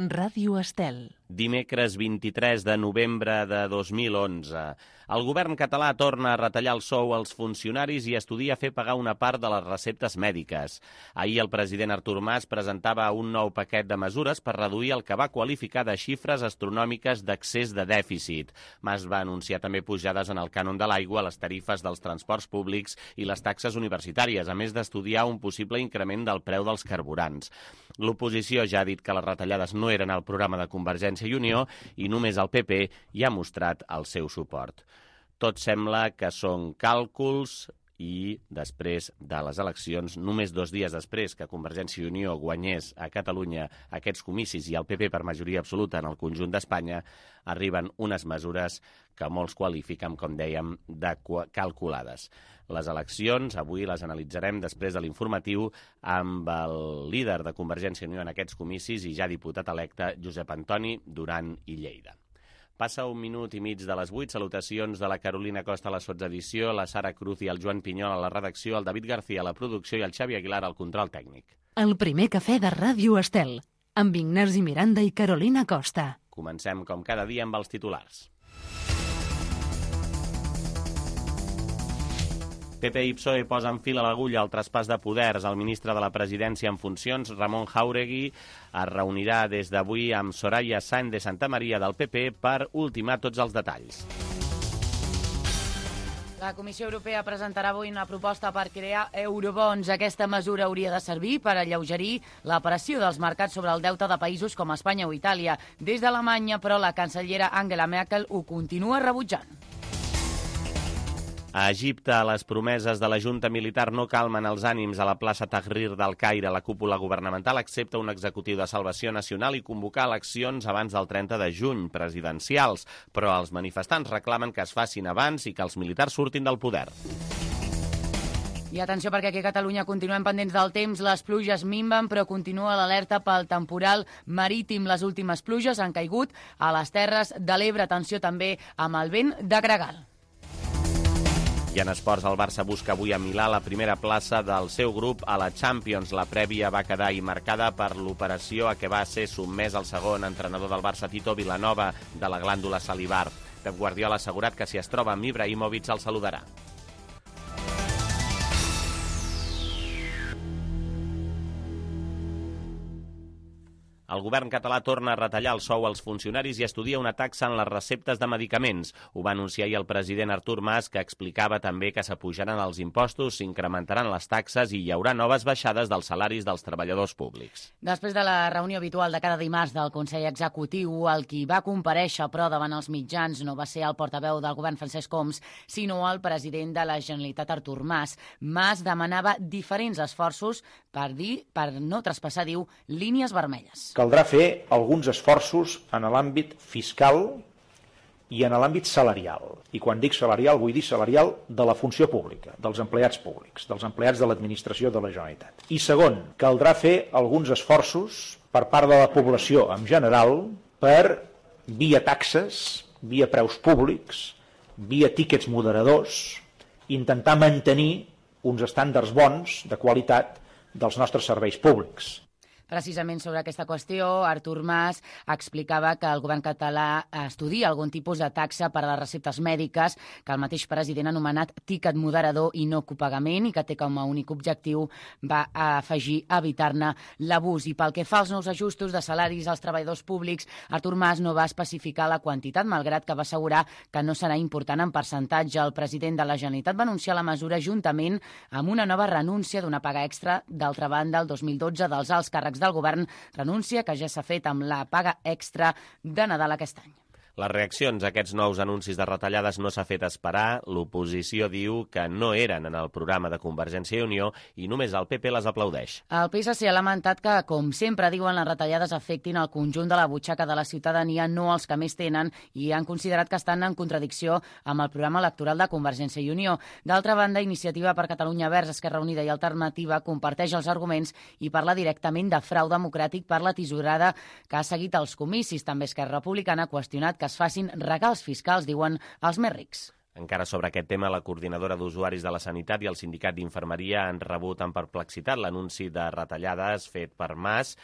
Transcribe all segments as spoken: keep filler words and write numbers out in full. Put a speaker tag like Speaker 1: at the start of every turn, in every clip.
Speaker 1: Ràdio Estel.
Speaker 2: Dimecres vint-i-tres de novembre de dos mil onze. El govern català torna a retallar el sou als funcionaris i estudia fer pagar una part de les receptes mèdiques. Ahir el president Artur Mas presentava un nou paquet de mesures per reduir el que va qualificar de xifres astronòmiques d'excés de dèficit. Mas va anunciar també pujades en el cànon de l'aigua, les tarifes dels transports públics i les taxes universitàries, a més d'estudiar un possible increment del preu dels carburants. L'oposició ja ha dit que les retallades no eren al programa de Convergència i Unió i només el P P hi ha mostrat el seu suport. Tot sembla que són càlculs i després de les eleccions, només dos dies després que Convergència i Unió guanyés a Catalunya aquests comicis i el P P per majoria absoluta en el conjunt d'Espanya, arriben unes mesures que molts qualifiquen, com dèiem, de calculades. Les eleccions, avui les analitzarem després de l'informatiu amb el líder de Convergència i Unió en aquests comicis i ja diputat electe, Josep Antoni Duran i Lleida. Passa un minut i mig de les vuit. Salutacions de la Carolina Costa a la sotsedició, la Sara Cruz i el Joan Pinyol a la redacció, el David García a la producció i el Xavi Aguilar al control tècnic.
Speaker 1: El primer cafè de Ràdio Estel, amb Ignasi Miranda i Carolina Costa.
Speaker 2: Comencem com cada dia amb els titulars. P P i P S O E posen fil a l'agulla al traspàs de poders. El ministre de la Presidència en funcions, Ramon Jáuregui, es reunirà des d'avui amb Soraya Sáenz de Santamaría del P P per ultimar tots els detalls.
Speaker 3: La Comissió Europea presentarà avui una proposta per crear eurobons. Aquesta mesura hauria de servir per alleugerir la pressió dels mercats sobre el deute de països com Espanya o Itàlia. Des d'Alemanya, però, la cancellera Angela Merkel ho continua rebutjant.
Speaker 2: A Egipte, les promeses de la junta militar no calmen els ànims. A la plaça Tahrir del Caire, la cúpula governamental accepta un executiu de salvació nacional i convocar eleccions abans del trenta de juny, presidencials, però els manifestants reclamen que es facin abans i que els militars surtin del poder.
Speaker 3: I atenció, perquè aquí a Catalunya continuem pendents del temps. Les pluges minven, però continua l'alerta pel temporal marítim. Les últimes pluges han caigut a les Terres de l'Ebre. Atenció també amb el vent de gregal.
Speaker 2: I en esports, el Barça busca avui a Milà la primera plaça del seu grup a la Champions. La prèvia va quedar marcada per l'operació a què va ser sotmès el segon entrenador del Barça, Tito Vilanova, de la glàndula salivar. Pep Guardiola ha assegurat que si es troba amb Ibrahimovic el saludarà. El govern català torna a retallar el sou als funcionaris i estudia una taxa en les receptes de medicaments. Ho va anunciar ahir el president Artur Mas, que explicava també que s'apujaran els impostos, s'incrementaran les taxes i hi haurà noves baixades dels salaris dels treballadors públics.
Speaker 3: Després de la reunió habitual de cada dimarts del Consell Executiu, el qui va comparèixer, però davant els mitjans, no va ser el portaveu del govern Francesc Homs, sinó el president de la Generalitat Artur Mas. Mas demanava diferents esforços per dir, per no traspassar, diu, línies vermelles.
Speaker 4: Caldrà fer alguns esforços en l'àmbit fiscal i en l'àmbit salarial. I quan dic salarial, vull dir salarial de la funció pública, dels empleats públics, dels empleats de l'administració de la Generalitat. I segon, caldrà fer alguns esforços per part de la població en general per, via taxes, via preus públics, via tíquets moderadors, intentar mantenir uns estàndards bons de qualitat dels nostres serveis públics.
Speaker 3: Precisament sobre aquesta qüestió, Artur Mas explicava que el govern català estudia algun tipus de taxa per a les receptes mèdiques, que el mateix president ha anomenat tiquet moderador i no copagament i que té com a únic objectiu, va afegir, evitar-ne l'abús. I pel que fa als nous ajustos de salaris als treballadors públics, Artur Mas no va especificar la quantitat, malgrat que va assegurar que no serà important en percentatge. El president de la Generalitat va anunciar la mesura juntament amb una nova renúncia d'una paga extra, d'altra banda, el dos mil dotze dels alts càrrecs del govern, renúncia que ja s'ha fet amb la paga extra de Nadal aquest any.
Speaker 2: Les reaccions a aquests nous anuncis de retallades no s'ha fet esperar. L'oposició diu que no eren en el programa de Convergència i Unió i només el P P les aplaudeix.
Speaker 3: El P S C ha lamentat que, com sempre diuen, les retallades afectin el conjunt de la butxaca de la ciutadania, no els que més tenen, i han considerat que estan en contradicció amb el programa electoral de Convergència i Unió. D'altra banda, Iniciativa per Catalunya Verds, Esquerra Unida i Alternativa comparteix els arguments i parla directament de frau democràtic per la tisorada que ha seguit els comicis. També Esquerra Republicana ha qüestionat que es facin regals fiscals, diuen, als més rics.
Speaker 2: Encara sobre aquest tema, la coordinadora d'usuaris de la sanitat i el sindicat d'infermeria han rebut amb perplexitat l'anunci de retallades fet per Mas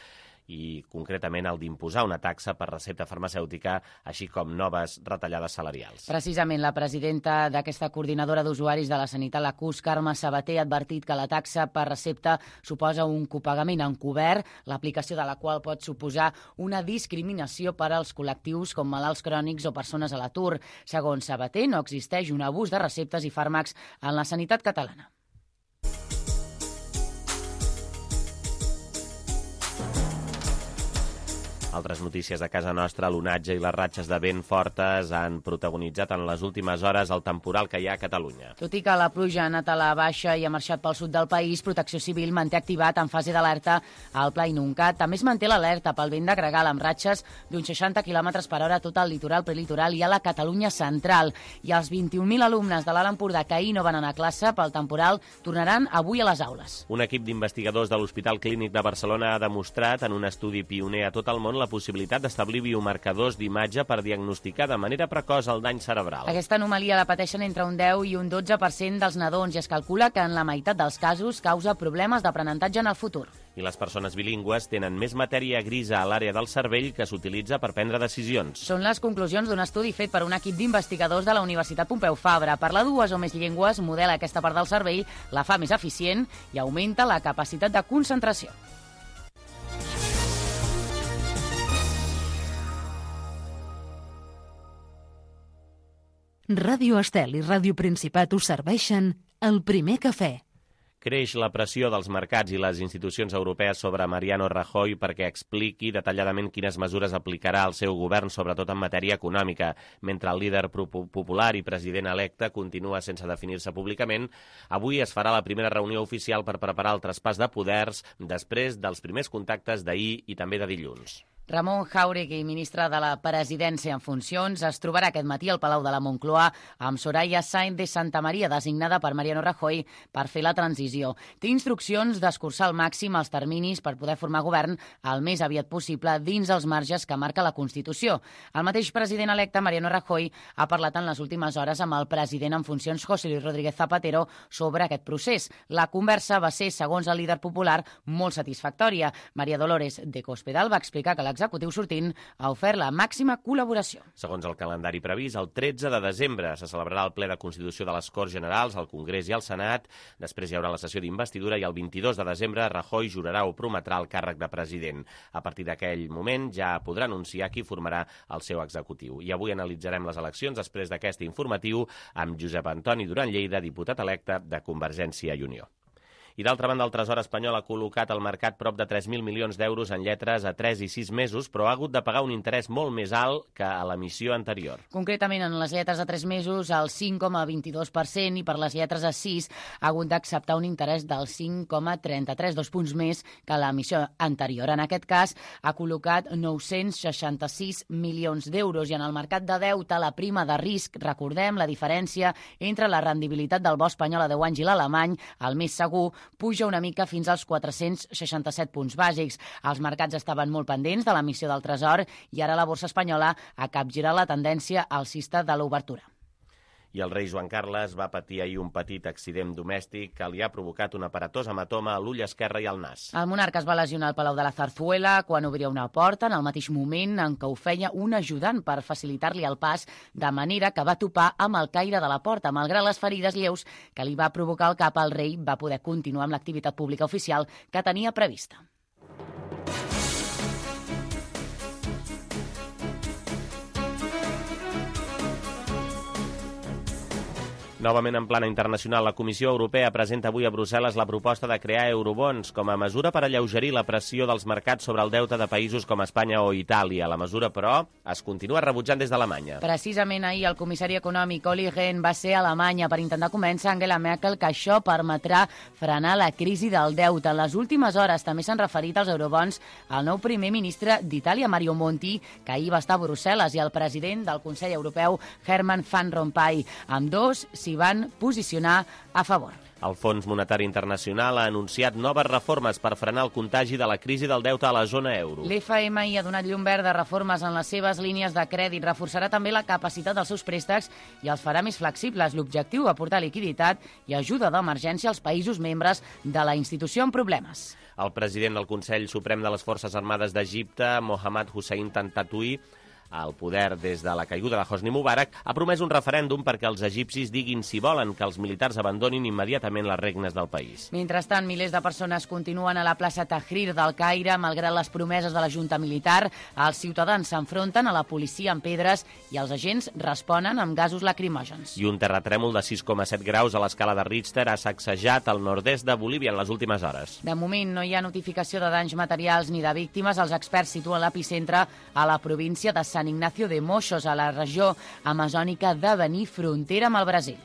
Speaker 2: i concretament el d'imposar una taxa per recepta farmacèutica, així com noves retallades salarials.
Speaker 3: Precisament la presidenta d'aquesta coordinadora d'usuaris de la sanitat, la C U S, Carme Sabater, ha advertit que la taxa per recepta suposa un copagament encobert, l'aplicació de la qual pot suposar una discriminació per als col·lectius com malalts crònics o persones a l'atur. Segons Sabater, no existeix un abús de receptes i fàrmacs en la sanitat catalana.
Speaker 2: Altres notícies de casa nostra, l'onatge i les ratxes de vent fortes han protagonitzat en les últimes hores el temporal que hi ha a Catalunya.
Speaker 3: Tot i que la pluja ha anat a la baixa i ha marxat pel sud del país, Protecció Civil manté activat en fase d'alerta al Pla Inuncat. També es manté l'alerta pel vent de gregal amb ratxes d'uns seixanta quilòmetres per hora a tot el litoral, prelitoral i a la Catalunya central. I els vint-i-un mil alumnes de l'Alt Empordà que ahir no van anar a classe pel temporal tornaran avui a les aules.
Speaker 2: Un equip d'investigadors de l'Hospital Clínic de Barcelona ha demostrat en un estudi pioner a tot el món la possibilitat d'establir biomarcadors d'imatge per diagnosticar de manera precoç el dany cerebral.
Speaker 3: Aquesta anomalia la pateixen entre un deu i un dotze per cent dels nadons i es calcula que en la meitat dels casos causa problemes d'aprenentatge en el futur.
Speaker 2: I les persones bilingües tenen més matèria grisa a l'àrea del cervell que s'utilitza per prendre decisions.
Speaker 3: Són les conclusions d'un estudi fet per un equip d'investigadors de la Universitat Pompeu Fabra. Parlar dues o més llengües modela aquesta part del cervell, la fa més eficient i augmenta la capacitat de concentració.
Speaker 1: Ràdio Estel i Ràdio Principat us serveixen el primer cafè.
Speaker 2: Creix la pressió dels mercats i les institucions europees sobre Mariano Rajoy perquè expliqui detalladament quines mesures aplicarà el seu govern, sobretot en matèria econòmica. Mentre el líder popular i president electe continua sense definir-se públicament, avui es farà la primera reunió oficial per preparar el traspàs de poders després dels primers contactes d'ahir i també de dilluns.
Speaker 3: Ramon Jáuregui, ministre de la Presidència en funcions, es trobarà aquest matí al Palau de la Moncloa amb Soraya Sáenz de Santamaría, designada per Mariano Rajoy per fer la transició. Té instruccions d'escurçar al màxim els terminis per poder formar govern el més aviat possible dins els marges que marca la Constitució. El mateix president electe, Mariano Rajoy, ha parlat en les últimes hores amb el president en funcions, José Luis Rodríguez Zapatero, sobre aquest procés. La conversa va ser, segons el líder popular, molt satisfactòria. María Dolores de Cospedal va explicar que l'executiu sortint ha ofert la màxima col·laboració.
Speaker 2: Segons el calendari previst, el tretze de desembre se celebrarà el ple de Constitució de les Corts Generals, al Congrés i al Senat. Després hi haurà la sessió d'investidura i el vint-i-dos de desembre Rajoy jurarà o prometrà el càrrec de president. A partir d'aquell moment ja podrà anunciar qui formarà el seu executiu. I avui analitzarem les eleccions després d'aquest informatiu amb Josep Antoni Duran Lleida, diputat electe de Convergència i Unió. I d'altra banda, el Tresor espanyol ha col·locat al mercat prop de tres mil milions d'euros en lletres a tres i sis mesos, però ha hagut de pagar un interès molt més alt que a l'emissió anterior.
Speaker 3: Concretament, en les lletres a tres mesos, el cinc coma vint-i-dos per cent, i per les lletres a sis ha hagut d'acceptar un interès del cinc coma trenta-tres, dos punts més que l'emissió anterior. En aquest cas, ha col·locat nou-cents seixanta-sis milions d'euros, i en el mercat de deute, la prima de risc, recordem la diferència entre la rendibilitat del bo espanyol a deu anys i l'alemany, el més segur, puja una mica fins als quatre-cents seixanta-set punts bàsics. Els mercats estaven molt pendents de l'emissió del Tresor i ara la borsa espanyola ha capgirat la tendència alcista de l'obertura.
Speaker 2: I el rei Joan Carles va patir ahir un petit accident domèstic que li ha provocat un aparatós hematoma a l'ull esquerre i al nas.
Speaker 3: El monarca es va lesionar al Palau de la Zarzuela quan obria una porta en el mateix moment en què ho feia un ajudant per facilitar-li el pas, de manera que va topar amb el caire de la porta. Malgrat les ferides lleus que li va provocar el cap, el rei va poder continuar amb l'activitat pública oficial que tenia prevista.
Speaker 2: Novament en plana internacional, la Comissió Europea presenta avui a Brussel·les la proposta de crear eurobons com a mesura per alleugerir la pressió dels mercats sobre el deute de països com Espanya o Itàlia. La mesura, però, es continua rebutjant des d'Alemanya.
Speaker 3: Precisament ahir el comissari econòmic Olli Rehn va ser a Alemanya per intentar convèncer Angela Merkel que això permetrà frenar la crisi del deute. En les últimes hores també s'han referit als eurobons al nou primer ministre d'Itàlia, Mario Monti, que ahir va estar a Brussel·les, i al president del Consell Europeu, Herman Van Rompuy. Amb dos, s'hi van posicionar a favor.
Speaker 2: El Fons Monetari Internacional ha anunciat noves reformes per frenar el contagi de la crisi del deute a la zona euro.
Speaker 3: L'F M I ha donat llum verda a reformes en les seves línies de crèdit, reforçarà també la capacitat dels seus préstecs i els farà més flexibles. L'objectiu, aportar liquiditat i ajuda d'emergència als països membres de la institució amb problemes.
Speaker 2: El president del Consell Suprem de les Forces Armades d'Egipte, Mohamed Hussein Tantatui, al poder des de la caiguda de Hosni Mubarak, ha promès un referèndum perquè els egipcis diguin si volen que els militars abandonin immediatament les regnes del país.
Speaker 3: Mentrestant, milers de persones continuen a la plaça Tahrir del Caire. Malgrat les promeses de la junta militar, els ciutadans s'enfronten a la policia amb pedres i els agents responen amb gasos lacrimògens.
Speaker 2: I un terratrèmol de sis coma set graus a l'escala de Richter ha sacsejat el nord-est de Bolívia en les últimes hores.
Speaker 3: De moment no hi ha notificació de danys materials ni de víctimes. Els experts situen l'epicentre a la província de Sant Ignacio de Moixos, a la regió amazònica de Benín, frontera amb el Brasil.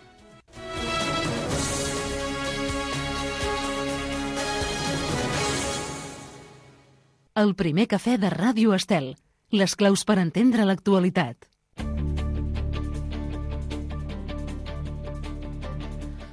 Speaker 1: El primer cafè de Ràdio Estel. Les claus per entendre l'actualitat.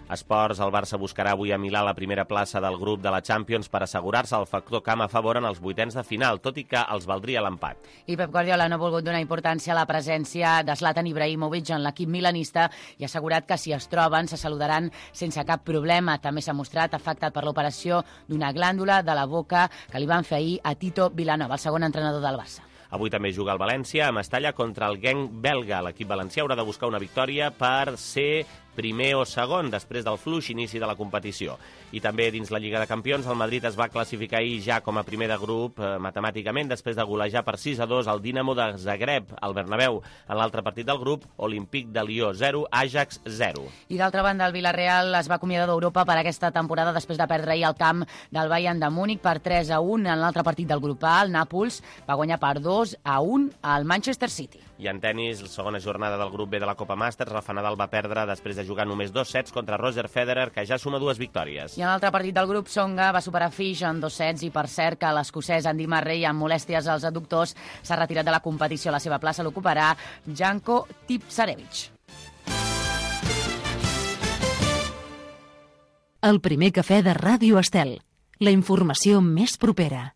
Speaker 2: Esports, el Barça buscarà avui a Milà la primera plaça del grup de la Champions per assegurar-se el factor camp a favor en els vuitens de final, tot i que els valdria l'empat.
Speaker 3: I Pep Guardiola no ha volgut donar importància a la presència de Zlatan Ibrahimovic en l'equip milanista i ha assegurat que si es troben se saludaran sense cap problema. També s'ha mostrat afectat per l'operació d'una glàndula de la boca que li van fer ahir a Tito Vilanova, el segon entrenador del Barça.
Speaker 2: Avui també juga el València a Mestalla contra el Genk belga. L'equip valencià haurà de buscar una victòria per ser primer o segon després del fluix inici de la competició. I també dins la Lliga de Campions, el Madrid es va classificar ahir ja com a primer de grup eh, matemàticament després de golejar per sis a dos el Dinamo de Zagreb al Bernabéu. En l'altre partit del grup, Olímpic de Lió zero, Ajax zero.
Speaker 3: I d'altra banda, el Villarreal es va acomiadar d'Europa per aquesta temporada després de perdre ahir al camp del Bayern de Múnich per tres a un. En l'altre partit del grup A, el Nàpols va guanyar per dos a un al Manchester City.
Speaker 2: I en tenis, la segona jornada del grup B de la Copa Masters, Rafa Nadal va perdre després de jugar només dos sets contra Roger Federer, que ja suma dues victòries.
Speaker 3: I en l'altre partit del grup, Tsonga va superar Fish en dos sets i per cert que l'escocès Andy Murray, amb molèsties als adductors, s'ha retirat de la competició. La seva plaça l'ocuparà Janko Tipsarevic.
Speaker 1: El primer cafè de Ràdio Estel. La informació més propera.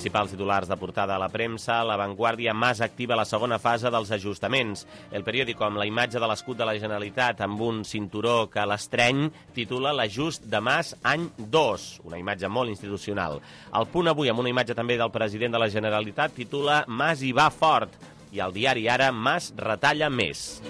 Speaker 2: Principals titulars de portada a la premsa, La Vanguardia, Mas activa la segona fase dels ajustaments. El periòdico, amb la imatge de l'escut de la Generalitat amb un cinturó que l'estreny, titula L'ajust de Mas any dos, una imatge molt institucional. El Punt Avui, amb una imatge també del president de la Generalitat, titula Mas hi va fort. I el diari Ara, Mas retalla més.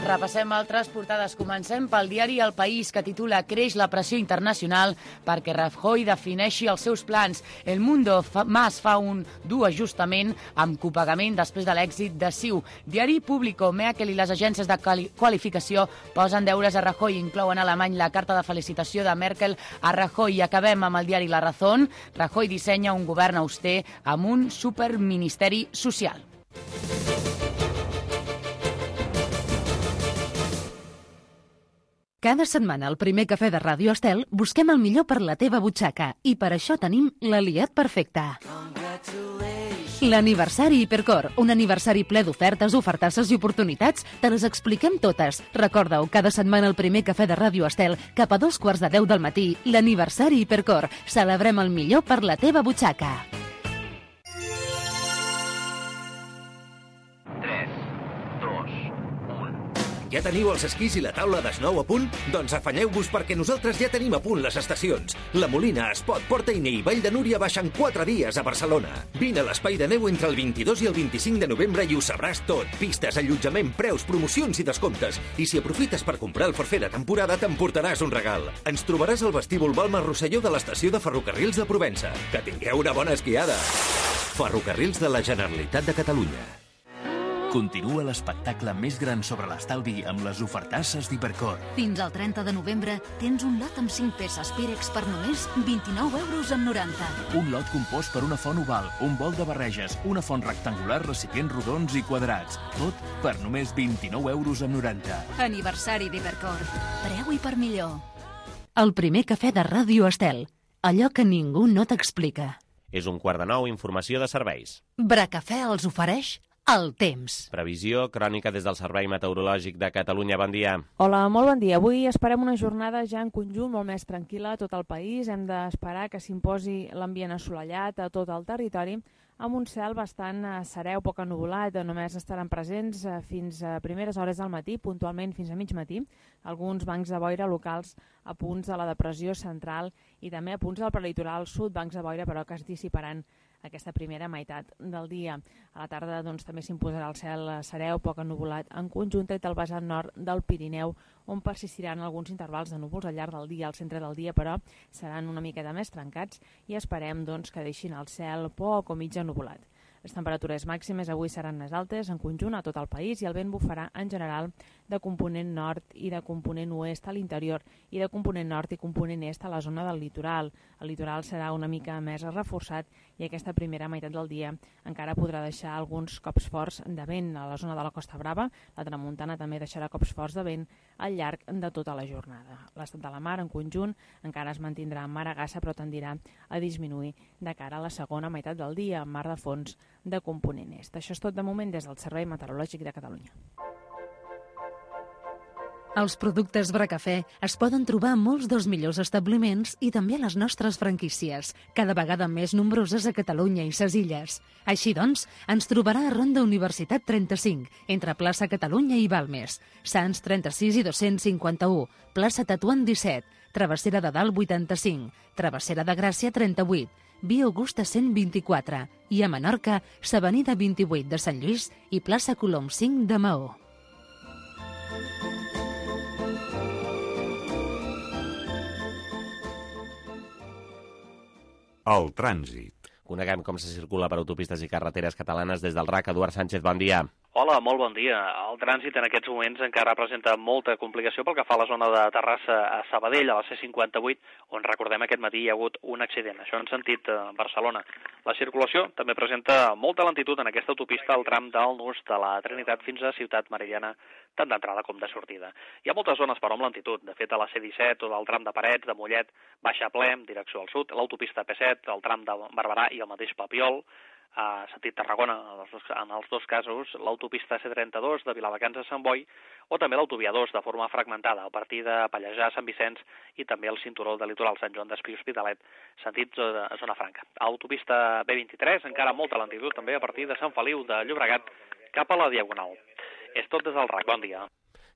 Speaker 3: Repassem altres portades. Comencem pel diari El País, que titula Creix la pressió internacional perquè Rajoy defineixi els seus plans. El Mundo fa, Mas fa un dur ajustament amb copagament després de l'èxit de C I U. Diari Público, Merkel i les agències de qualificació posen deures a Rajoy. Inclouen a Alemany la carta de felicitació de Merkel a Rajoy. I acabem amb el diari La Razón. Rajoy dissenya un govern auster amb un superministeri social.
Speaker 1: Cada setmana al primer cafè de Ràdio Estel busquem el millor per la teva butxaca i per això tenim l'aliat perfecte. L'aniversari Hipercor, un aniversari ple d'ofertes, ofertasses i oportunitats, te les expliquem totes. Recorda-ho, cada setmana al primer cafè de Ràdio Estel, cap a dos quarts de deu del matí, l'aniversari Hipercor. Celebrem el millor per la teva butxaca.
Speaker 5: Ja teniu els esquís i la taula d'esnou a punt? Doncs afanyeu-vos perquè nosaltres ja tenim a punt les estacions. La Molina, Espot, Port Eine i Vall de Núria baixen quatre dies a Barcelona. Vine a l'Espai de Neu entre el vint-i-dos i el vint-i-cinc de novembre i ho sabràs tot. Pistes, allotjament, preus, promocions i descomptes. I si aprofites per comprar el forfait de temporada, t'emportaràs un regal. Ens trobaràs al vestíbul Balma Rosselló de l'estació de Ferrocarrils de Provença. Que tingueu una bona esquiada. Ferrocarrils de la Generalitat de Catalunya.
Speaker 6: Continua l'espectacle més gran sobre l'estalvi amb les ofertasses d'Hipercor.
Speaker 7: Fins al trenta de novembre tens un lot amb cinc peces Pirex per només vint-i-nou euros amb noranta.
Speaker 6: Un lot compost per una font oval, un bol de barreges, una font rectangular, recipients rodons i quadrats. Tot per només vint-i-nou euros amb noranta.
Speaker 7: Aniversari d'Hipercor. Preu i per millor.
Speaker 1: El primer cafè de Ràdio Estel. Allò que ningú no t'explica.
Speaker 2: És un quart de nou, informació de serveis.
Speaker 1: Bracafè els ofereix El temps.
Speaker 2: Previsió, crònica des del Servei Meteorològic de Catalunya. Bon dia.
Speaker 8: Hola, molt bon dia. Avui esperem una jornada ja en conjunt molt més tranquil·la a tot el país. Hem d'esperar que s'imposi l'ambient assolellat a tot el territori, amb un cel bastant serè o poc ennuvolat. Només estaran presents fins a primeres hores del matí, puntualment fins a mig matí, alguns bancs de boira locals a punts de la depressió central i també a punts del prelitoral sud, bancs de boira però que es dissiparan aquesta primera meitat del dia. A la tarda doncs, també s'imposarà el cel serè o poc ennuvolat en conjunt tret del vessant nord del Pirineu, on persistiran alguns intervals de núvols al llarg del dia. Al centre del dia, però, seran una miqueta més trencats i esperem doncs, que deixin el cel poc o mig ennuvolat. Les temperatures màximes avui seran més altes en conjunt a tot el país i el vent bufarà en general de component nord i de component oest a l'interior i de component nord i component est a la zona del litoral. El litoral serà una mica més reforçat i aquesta primera meitat del dia encara podrà deixar alguns cops forts de vent a la zona de la Costa Brava. La tramuntana també deixarà cops forts de vent al llarg de tota la jornada. L'estat de la mar en conjunt encara es mantindrà en maragassa però tendirà a disminuir de cara a la segona meitat del dia amb mar de fons de component est. Això és tot de moment des del Servei Meteorològic de Catalunya.
Speaker 1: Els productes Bracafè es poden trobar a molts dels millors establiments i també a les nostres franquícies, cada vegada més nombroses a Catalunya i ses Illes. Així doncs, ens trobarà a Ronda Universitat trenta-cinc, entre plaça Catalunya i Balmes, Sants trenta-sis i dos-cents cinquanta-u, plaça Tetuan disset, Travessera de Dalt vuitanta-cinc, Travessera de Gràcia trenta-vuit, Via Augusta cent vint-i-quatre i a Menorca, s'Avenida vint-i-vuit de Sant Lluís i plaça Colom cinc de Maó.
Speaker 9: El trànsit.
Speaker 2: Coneguem com se circula per autopistes i carreteres catalanes des del R A C. Eduard Sánchez, bon dia.
Speaker 10: Hola, molt bon dia. El trànsit en aquests moments encara presenta molta complicació pel que fa a la zona de Terrassa a Sabadell, a la C cinquanta-vuit, on recordem aquest matí hi ha hagut un accident, això en sentit eh, Barcelona. La circulació també presenta molta lentitud en aquesta autopista al tram del nus de la Trinitat fins a Ciutat Meridiana, tant d'entrada com de sortida. Hi ha moltes zones però amb lentitud, de fet a la C disset o del tram de Parets, de Mollet, baixa ple, direcció al sud, l'autopista P set, el tram de Barberà i el mateix Papiol, a sentit Tarragona, en els dos casos, l'autopista C trenta-dos de Viladecans a Sant Boi o també l'autovia dos de forma fragmentada a partir de Pallejà a Sant Vicenç i també el cinturó de litoral Sant Joan d'Espí Hospitalet, sentit zona franca. Autopista B vint-i-tres, encara molta lentitud també a partir de Sant Feliu de Llobregat cap a la Diagonal. És tot des del R A C. Bon dia.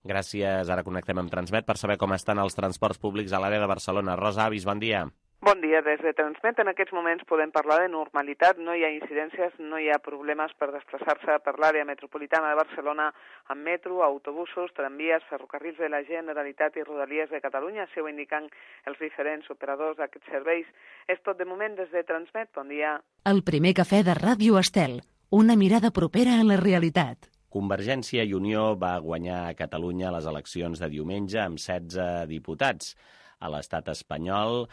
Speaker 2: Gràcies. Ara connectem amb Transmet per saber com estan els transports públics a l'àrea de Barcelona. Rosa Avis, bon dia.
Speaker 11: Bon dia, des de Transmet en aquests moments podem parlar de normalitat, no hi ha incidències, no hi ha problemes per desplaçar-se per l'àrea metropolitana de Barcelona amb metro, autobusos, tramvies, ferrocarrils de la Generalitat i Rodalies de Catalunya, així ho indiquen els diferents operadors d'aquests serveis. És tot de moment des de Transmet, bon dia.
Speaker 1: El primer cafè de Ràdio Estel, una mirada propera a la realitat.
Speaker 2: Convergència i Unió va guanyar a Catalunya les eleccions de diumenge amb setze diputats. A l'estat espanyol,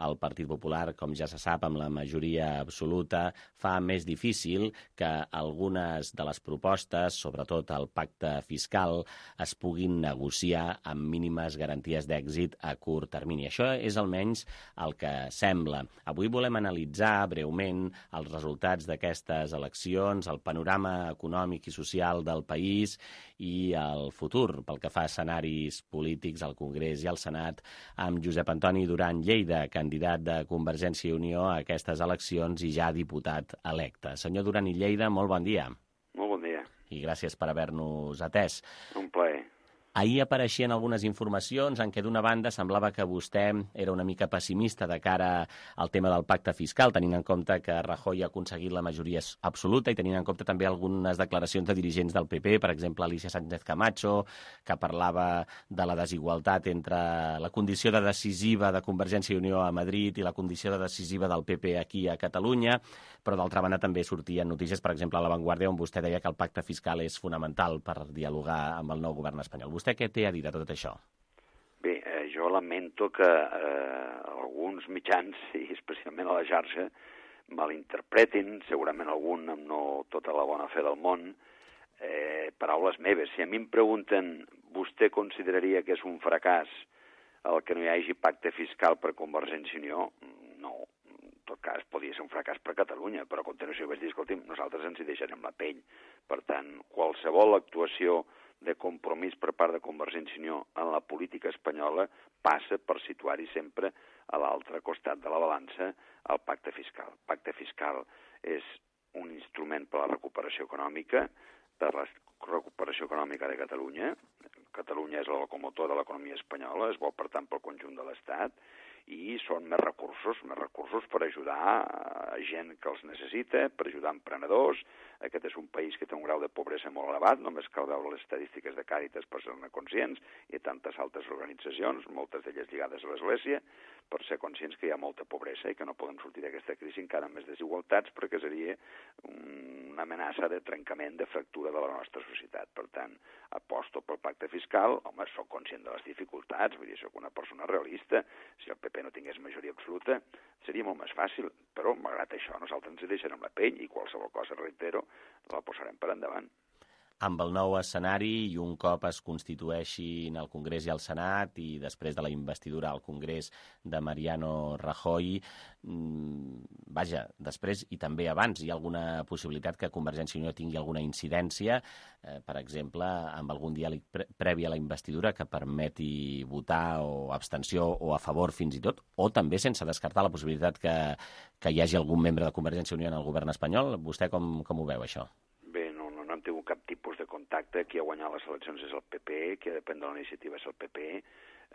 Speaker 2: el Partit Popular, com ja se sap, amb la majoria absoluta, fa més difícil que algunes de les propostes, sobretot el pacte fiscal, es puguin negociar amb mínimes garanties d'èxit a curt termini. Això és almenys el que sembla. Avui volem analitzar breument els resultats d'aquestes eleccions, el panorama econòmic i social del país i el futur pel que fa a escenaris polítics al Congrés i al Senat, amb Josep Antoni Duran Lleida, candidat de Convergència i Unió a aquestes eleccions i ja diputat electe. Senyor Duran i Lleida, molt bon dia.
Speaker 12: Molt bon dia.
Speaker 2: I gràcies per haver-nos atès.
Speaker 12: Un plaer.
Speaker 2: Ahir apareixien algunes informacions en què d'una banda semblava que vostè era una mica pessimista de cara al tema del pacte fiscal, tenint en compte que Rajoy ha aconseguit la majoria absoluta i tenint en compte també algunes declaracions de dirigents del P P, per exemple Alicia Sánchez Camacho, que parlava de la desigualtat entre la condició de decisiva de Convergència i Unió a Madrid i la condició de decisiva del P P aquí a Catalunya, però d'altra banda també sortien notícies, per exemple, a La Vanguardia, on vostè deia que el pacte fiscal és fonamental per dialogar amb el nou govern espanyol. Vostè què té a dir de tot això?
Speaker 12: Bé, eh, jo lamento que eh, alguns mitjans, i especialment a la xarxa, malinterpretin, segurament algun amb no tota la bona fe del món, eh, paraules meves. Si a mi em pregunten, vostè consideraria que és un fracàs el que no hi hagi pacte fiscal per Convergència i Unió? No. En tot cas, podria ser un fracàs per Catalunya, però a continuació vaig dir, escolti'm, nosaltres ens hi deixarem la pell. Per tant, qualsevol actuació de compromís per part de Convergència i Unió en la política espanyola passa per situar-hi sempre a l'altre costat de la balança el pacte fiscal. El pacte fiscal és un instrument per a la recuperació econòmica, per la recuperació econòmica de Catalunya. Catalunya és el locomotor de l'economia espanyola, es vol, per tant, pel conjunt de l'Estat, i són més recursos, més recursos per ajudar a gent que els necessita, per ajudar emprenedors. Aquest és un país que té un grau de pobresa molt elevat, només cal veure les estadístiques de Càritas per ser-ne conscients, i tantes altres organitzacions, moltes d'elles lligades a l'Església, per ser conscients que hi ha molta pobresa i que no podem sortir d'aquesta crisi encara amb més desigualtats, perquè seria una amenaça de trencament, de fractura de la nostra societat. Per tant, aposto pel pacte fiscal, home, soc conscient de les dificultats, vull dir, soc una persona realista. Si el P P no tingués majoria absoluta, seria molt més fàcil, però malgrat això nosaltres ens hi deixarem la pell i qualsevol cosa, reitero, la posarem per endavant.
Speaker 2: Amb el nou escenari i un cop es constitueixin el Congrés i el Senat i després de la investidura al Congrés de Mariano Rajoy, mmm, vaja, després i també abans hi ha alguna possibilitat que Convergència i Unió tingui alguna incidència, eh, per exemple, amb algun diàleg pre previ a la investidura que permeti votar o abstenció o a favor fins i tot, o també sense descartar la possibilitat que, que hi hagi algun membre de Convergència i Unió en el govern espanyol. Vostè com, com ho veu, això?
Speaker 12: No hem tingut cap tipus de contacte. Qui ha guanyat les eleccions és el P P, qui ha de prendre la iniciativa és el P P.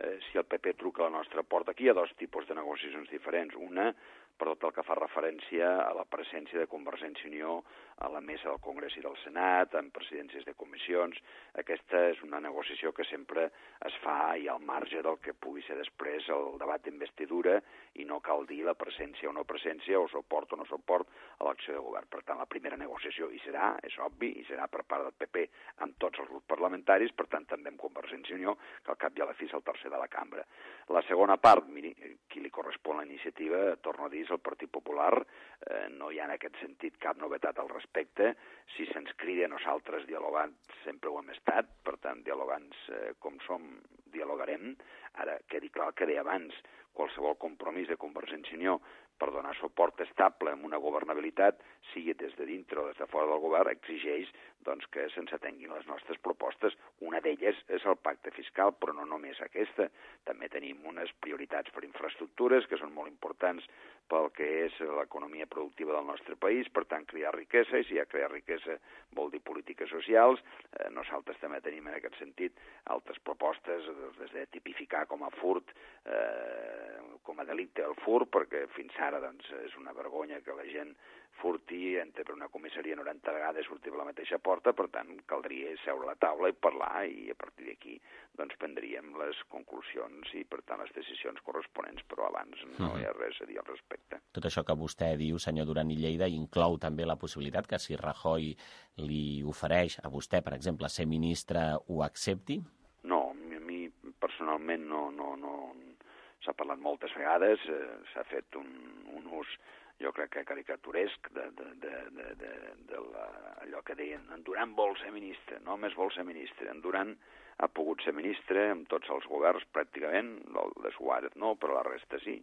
Speaker 12: Eh, si el P P truca a la nostra porta, aquí hi ha dos tipus de negociacions diferents. Una, per tot el que fa referència a la presència de Convergència i Unió a la mesa del Congrés i del Senat, en presidències de comissions. Aquesta és una negociació que sempre es fa i al marge del que pugui ser després el debat d'investidura i no cal dir la presència o no presència, o suport o no suport a l'acció de govern. Per tant, la primera negociació hi serà, és obvi, i serà per part del P P amb tots els grups parlamentaris, per tant també amb Convergència i Unió, que al cap i a la fi és el tercer de la cambra. La segona part, miri, qui li correspon la iniciativa, torno a dir, és el Partit Popular. Eh, no hi ha en aquest sentit cap novetat al respecte. Si se'ns crida, nosaltres dialogants sempre ho hem estat, per tant, dialogants eh, com som, dialogarem. Ara, quedi clar el que deia abans, qualsevol compromís de Convergència i Unió per donar suport estable amb una governabilitat, sigui des de dintre o des de fora del govern, exigeix doncs, que se'ns atenguin les nostres propostes. Una d'elles és el pacte fiscal, però no només aquesta. També tenim unes prioritats per infraestructures que són molt importants pel que és l'economia productiva del nostre país, per tant, crear riquesa, i si hi ha crear riquesa vol dir polítiques socials. Eh, nosaltres també tenim en aquest sentit altres propostes, des de tipificar com a furt, eh, com a delicte el furt, perquè fins ara doncs, és una vergonya que la gent furti, entra per una comissaria noranta vegades, surti per la mateixa porta, per tant, caldria seure a la taula i parlar, i a partir d'aquí doncs, prendríem les conclusions i, per tant, les decisions corresponents, però abans no hi ha res a dir al respecte.
Speaker 2: Tot això que vostè diu, senyor Duran i Lleida, inclou també la possibilitat que si Rajoy li ofereix a vostè, per exemple, ser ministre, ho accepti?
Speaker 12: No, a mi personalment no, no, no. S'ha parlat moltes vegades, eh, s'ha fet un, un ús, jo crec que caricaturesc, de, de, de, de, de, de la, allò que deien, en Duran vol ser ministre, no només vol ser ministre, en Duran ha pogut ser ministre amb tots els governs pràcticament, el de Suárez no, però la resta sí,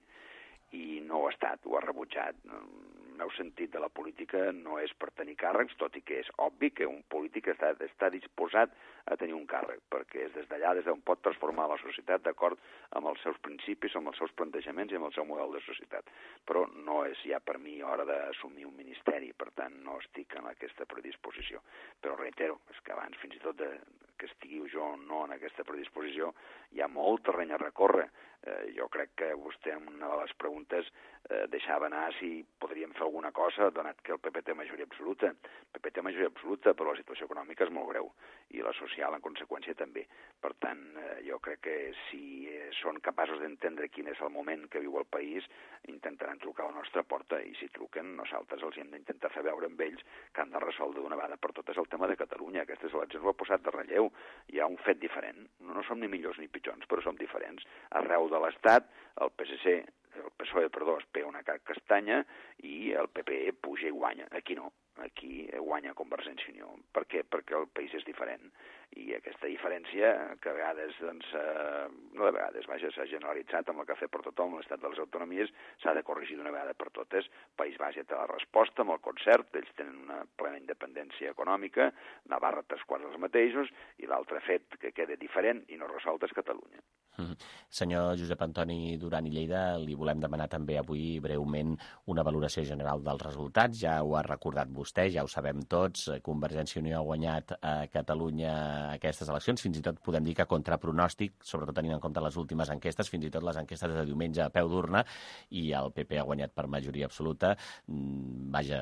Speaker 12: i no ho ha estat, ho ha rebutjat. El meu sentit de la política no és per tenir càrrecs, tot i que és obvi que un polític està, està disposat a tenir un càrrec, perquè és des d'allà des d'on pot transformar la societat d'acord amb els seus principis, amb els seus plantejaments i amb el seu model de societat. Però no és ja per mi hora d'assumir un ministeri, per tant no estic en aquesta predisposició. Però reitero, és que abans fins i tot de, que estigui jo no en aquesta predisposició, hi ha molt terreny a recórrer. Eh, jo crec que vostè en una de les preguntes eh, deixava anar si podríem fer alguna cosa, donat que el P P té majoria absoluta. El P P té majoria absoluta, però la situació econòmica és molt greu, i la social, en conseqüència, també. Per tant, eh, jo crec que si eh, són capaços d'entendre quin és el moment que viu el país, intentaran trucar a la nostra porta, i si truquen, nosaltres els hem d'intentar fer veure amb ells que han de resoldre d'una vegada per totes el tema de Catalunya. Aquestes eleccions ho ha posat de relleu. Hi ha un fet diferent. No, no som ni millors ni pitjors, però som diferents. Arreu de l'Estat, el P S C el P S O E, perdó, es pega una castanya i el P P puja i guanya. Aquí no, aquí guanya Convergència i Unió. Per què? Perquè el país és diferent. I aquesta diferència, que a vegades, doncs, eh, no de vegades, vaja, s'ha generalitzat amb el cafè per tothom, l'estat de les autonomies, s'ha de corregir d'una vegada per totes. País Basc té la resposta amb el concert, ells tenen una plena independència econòmica, Navarra tres quarts dels mateixos, i l'altre fet que queda diferent i no resolt és Catalunya.
Speaker 2: Mm. Senyor Josep Antoni Duran i Lleida, li volem demanar també avui breument una valoració general dels resultats. Ja ho ha recordat vostè, ja ho sabem tots, Convergència i Unió ha guanyat a Catalunya aquestes eleccions, fins i tot podem dir que contra pronòstic, sobretot tenint en compte les últimes enquestes, fins i tot les enquestes de diumenge a peu d'urna, i el P P ha guanyat per majoria absoluta. Vaja,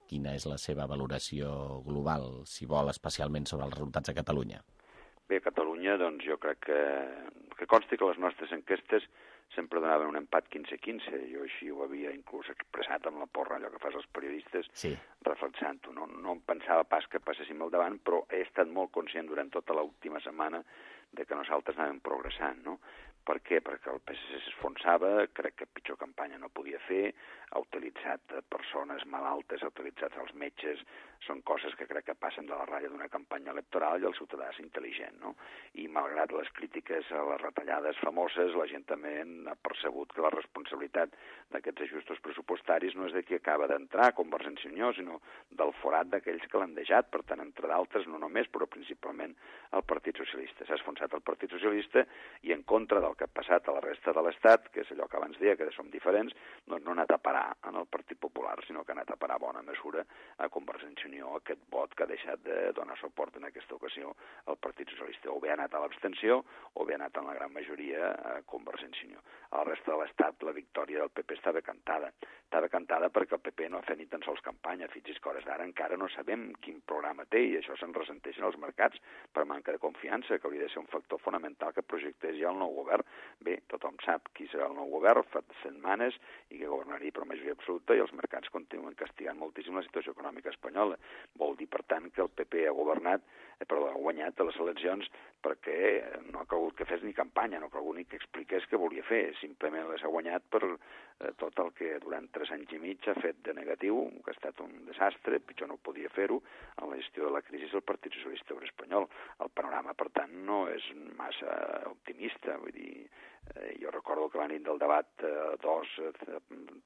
Speaker 2: quina és la seva valoració global, si vol, especialment sobre els resultats a Catalunya?
Speaker 12: Bé, a Catalunya, doncs, jo crec que, que consti que les nostres enquestes sempre donaven un empat quinze quinze. Jo així ho havia inclús expressat amb la porra, allò que fas els periodistes, sí. reflexant-ho. No, no em pensava pas que passéssim al davant, però he estat molt conscient durant tota l'última setmana de que nosaltres anàvem progressant, no? Per què? Perquè el P S C s'esfonsava, crec que pitjor campanya no podia fer, ha utilitzat persones malaltes, ha utilitzat els metges, són coses que crec que passen de la ratlla d'una campanya electoral i el ciutadà és intel·ligent, no? I malgrat les crítiques a les retallades famoses, la gent també ha percebut que la responsabilitat d'aquests ajustos pressupostaris no és de qui acaba d'entrar a Convergència i Unió, sinó del forat d'aquells que l'han deixat, per tant, entre d'altres, no només, però principalment el Partit Socialista. S'ha esfonsat el Partit Socialista i en contra del que ha passat a la resta de l'Estat, que és allò que abans deia, que som diferents, doncs no ha anat a parar en el Partit Popular, sinó que ha anat a parar bona mesura a Convergència i Unió, aquest vot que ha deixat de donar suport en aquesta ocasió al Partit Socialista. O bé ha anat a l'abstenció, o bé ha anat en la gran majoria a Convergència i Unió. A la resta de l'Estat la victòria del P P estava cantada. Estava cantada perquè el P P no ha fet ni tan sols campanya. Fixi's que hores d'ara encara no sabem quin programa té i això se'n ressenteixen els mercats per manca de confiança, que hauria de ser un factor fonamental que projectés ja el nou govern. Bé, tothom sap qui serà el nou govern, fa setmanes, i que governaria per majoria absoluta, i els mercats continuen castigant moltíssim la situació econòmica espanyola. Vol dir, per tant, que el P P ha governat, eh, perdó, ha guanyat a les eleccions perquè no ha calgut que fes ni campanya, no ha calgut ni que expliqués què volia fer, simplement les ha guanyat per eh, tot el que durant tres anys i mig ha fet de negatiu, que ha estat un desastre, pitjor no podia fer-ho, en la gestió de la crisi del Partit Socialista Obrer Espanyol. El panorama, per tant, no és massa optimista, vull dir, Eh, jo recordo que la nit del debat eh, dos, eh,